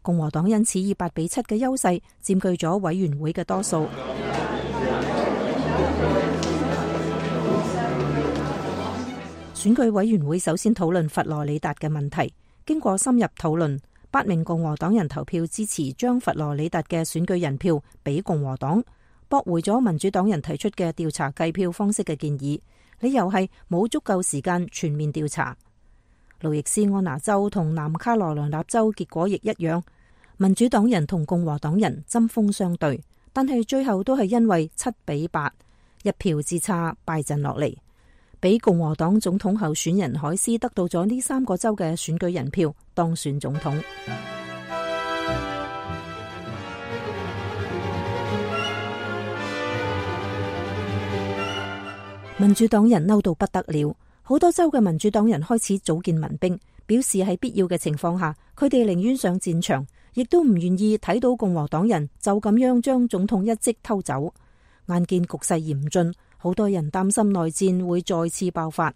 共和黨因此以八比七嘅優勢佔據咗委員會嘅多數。選舉委員會首先討論佛羅里達嘅問題，經過深入討論，八名共和黨人投票支持將佛羅里達嘅選舉人票俾共和黨，駁回咗民主黨人提出嘅調查計票方式嘅建議，理由係冇足夠時間全面調查。路易斯安那州同南卡羅來納州結果亦一樣，民主黨人同共和黨人針鋒相對，但係最後都係因為七比八一票之差敗陣落嚟，俾共和黨總統候選人海斯得到咗呢三個州嘅選舉人票，當選總統。民主黨人嬲到不得了，好多州嘅民主黨人開始組建民兵，表示喺必要嘅情況下，佢哋寧願上戰場，亦都唔願意睇到共和黨人就咁樣將總統一職偷走。眼見局勢嚴峻，好多人擔心內戰會再次爆發。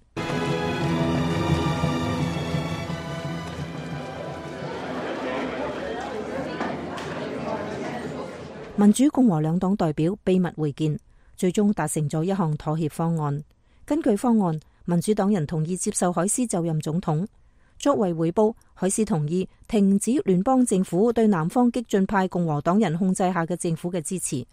民主共和兩黨代表秘密會見，最終達成咗一項妥協方案。根據方案，民主黨人同意接受海斯就任總統。作為回報，海斯同意停止聯邦政府對南方激進派共和黨人控制下嘅政府嘅支持。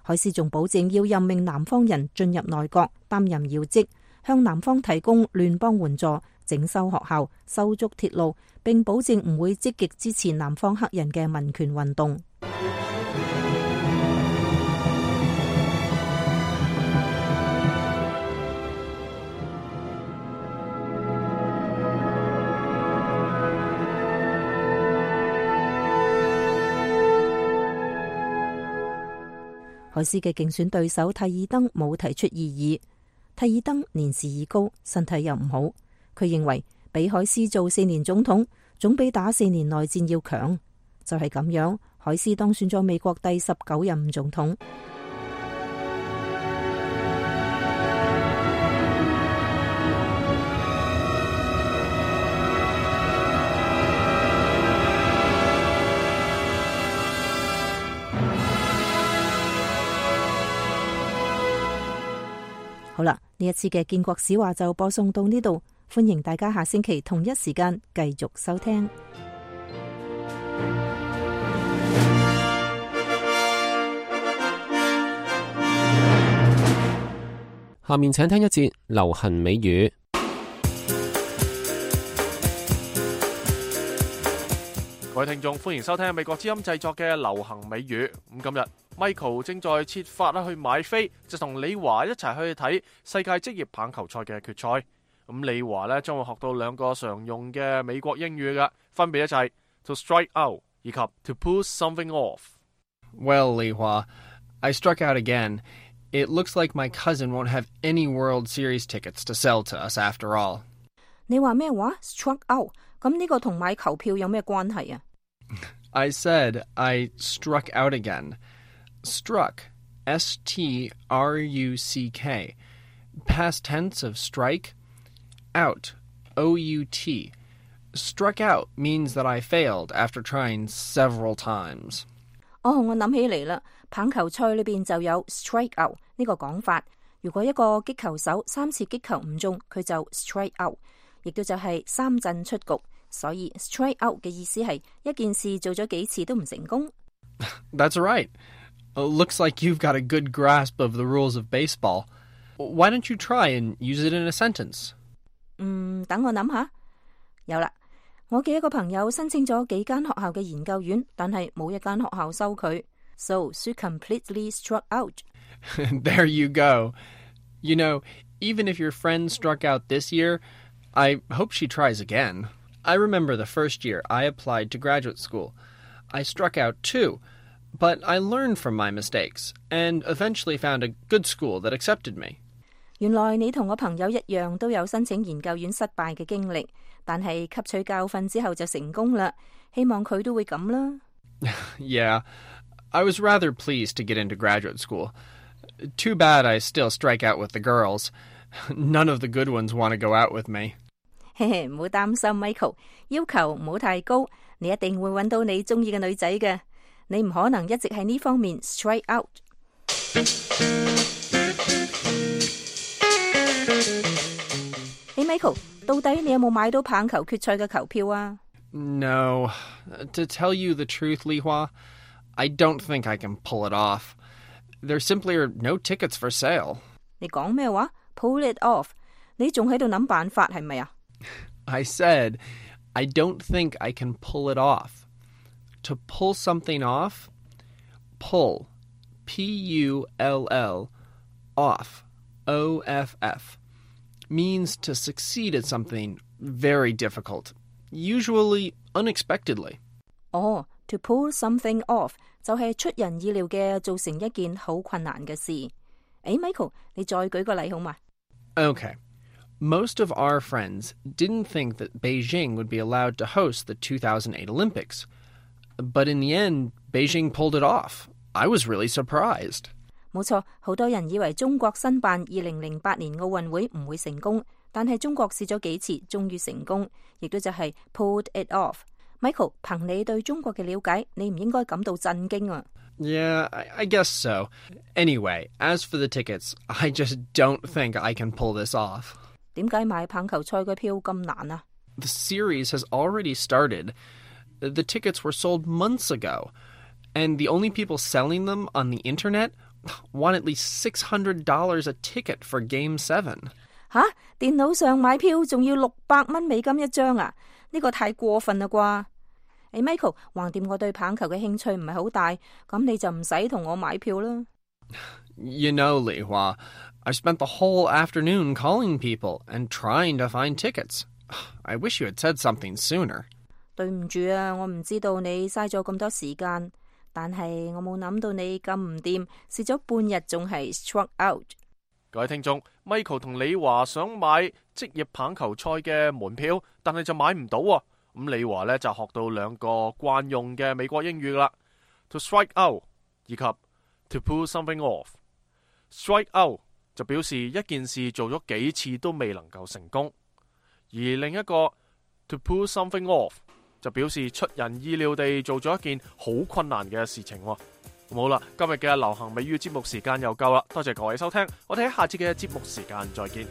海斯仲保證要任命南方人進入內閣擔任要職，向南方提供聯邦援助、整修學校、修築鐵路，並保證唔會積極支持南方黑人嘅民權運動。海斯嘅競選對手蒂爾登冇提出異議。蒂爾登年事已高，身體又唔好，佢認為俾海斯做四年總統，總比打四年內戰要強。就係咁樣，海斯當選咗美國第十九任總統。好啦，呢一次嘅建國史話就播送到呢度，歡迎大家下星期同一時間繼續收聽。下面請聽一節流行美語。各位聽眾，歡迎收聽美國之音製作嘅流行美語。咁今日 Michael 正在設法啦去買飛，就同李華一齊去睇世界職業棒球賽嘅決賽。咁李華呢將會學到兩個常用嘅美國英語嘅，分別咧就係 to strike out 以及 to pull something off。 Well, Li Hua, I struck out again. It looks like my cousin won't have any World Series tickets to sell to us after all. 你話咩話 ？struck out， 咁呢個同買球票有咩關係啊？ I said I struck out again. Struck, S T R U C K. Past tense of strike. Out, O U T. Struck out means that I failed after trying several times. 哦，我諗起嚟啦，棒球賽裏邊就有 strike out 呢個講法。如果一個擊球手三次擊球唔中，佢就 strike out， 亦都就係三振出局。所以 strike out 嘅意思係一件事做咗幾次都唔成功。That's right. Looks like you've got a good grasp of the rules of baseball. Why don't you try and use it in a sentence? 嗯，等我諗下。有啦，我嘅一個朋友申請咗幾間學校嘅研究院，但係冇一間學校收佢。So she completely struck out. There you go. You know, even if your friend struck out this year, I hope she tries again. I remember the first year I applied to graduate school. I struck out too, but I learned from my mistakes and eventually found a good school that accepted me. 原來你同我朋友一樣都有申請研究院失敗嘅經歷，但係吸取教訓之後就成功啦。希望佢都會咁啦。Yeah, I was rather pleased to get into graduate school. Too bad I still strike out with the girls. None of the good ones want to go out with me. 嘿嘿，唔好擔心 Michael， 要求唔好太高，你一定會揾到你中意嘅女仔嘅。你唔可能一直喺呢方面 strike out。Hey Michael， 到底你有冇買到棒球決賽嘅球票啊？ No. To tell you the truth, Li Hua, I don't think I can pull it off. There simply are no tickets for sale. 你講咩話 ？Pull it off？ 你仲喺度諗辦法係咪啊？ I said, I don't think I can pull it off. To pull something off, pull, P U L L, off, O F F, means to succeed at something very difficult, usually unexpectedly. 哦、oh, to pull something off 就係出人意料嘅做成一件好困難嘅事。誒 Michael， 你再舉個例好嘛？ Okay. Most of our friends didn't think that Beijing would be allowed to host the two thousand eight Olympics. But in the end, Beijing pulled it off. I was really surprised. 冇錯，好多人以為中國申辦二零零八年奧運會唔會成功，但係中國試咗幾次，終於成功，亦都就係 pulled it off。Michael， 憑你對中國嘅了解，你唔應該感到震驚啊。Yeah, I, I guess so. Anyway, as for the tickets, I just don't think I can pull this off. 點解買棒球賽嘅票咁難啊？ The series has already started. The tickets were sold months ago, and the only people selling them on the internet want at least six hundred dollars a ticket for Game seven. 吓，電腦上買票仲要六百蚊美金一張啊？呢個太過分啦啩！誒 Michael， 橫掂我對棒球嘅興趣唔係好大，咁你就唔使同我買票啦。You know, Li Hua, I spent the whole afternoon calling people and trying to find tickets. I wish you had said something sooner. 對唔住啊，我唔知道你嘥咗咁多時間，但係我冇諗到你咁唔掂，試咗半日仲係 struck out。各位聽眾 ，Michael 同李華想買職業棒球賽嘅門票，但係就買唔到啊。咁李華呢就學到兩個慣用嘅美國英語啦 ，to strike out 以及 to pull something off。strike out 就表示一件事做咗幾次都未能夠成功，而另一個 to pull something off 就表示出人意料地做咗一件好困難嘅事情。好啦，今日嘅流行美語節目時間又夠啦，多謝各位收聽，我哋喺下次嘅節目時間再見。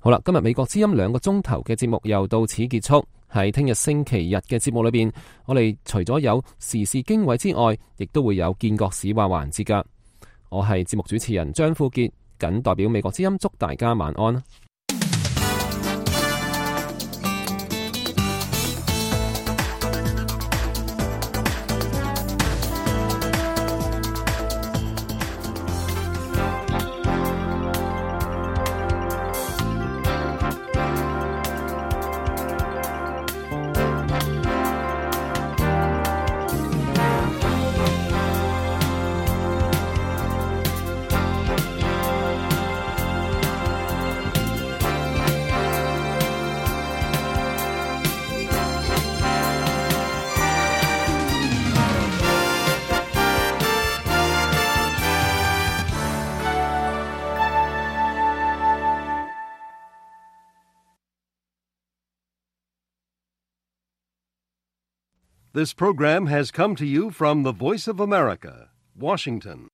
好啦，今日美國之音兩個鐘頭嘅節目又到此結束。喺聽日星期日嘅節目裏邊，我哋除咗有時事經緯之外，亦都會有見國史話環節噶。我係節目主持人張富傑，謹代表美國之音祝大家晚安。This program has come to you from the Voice of America, Washington.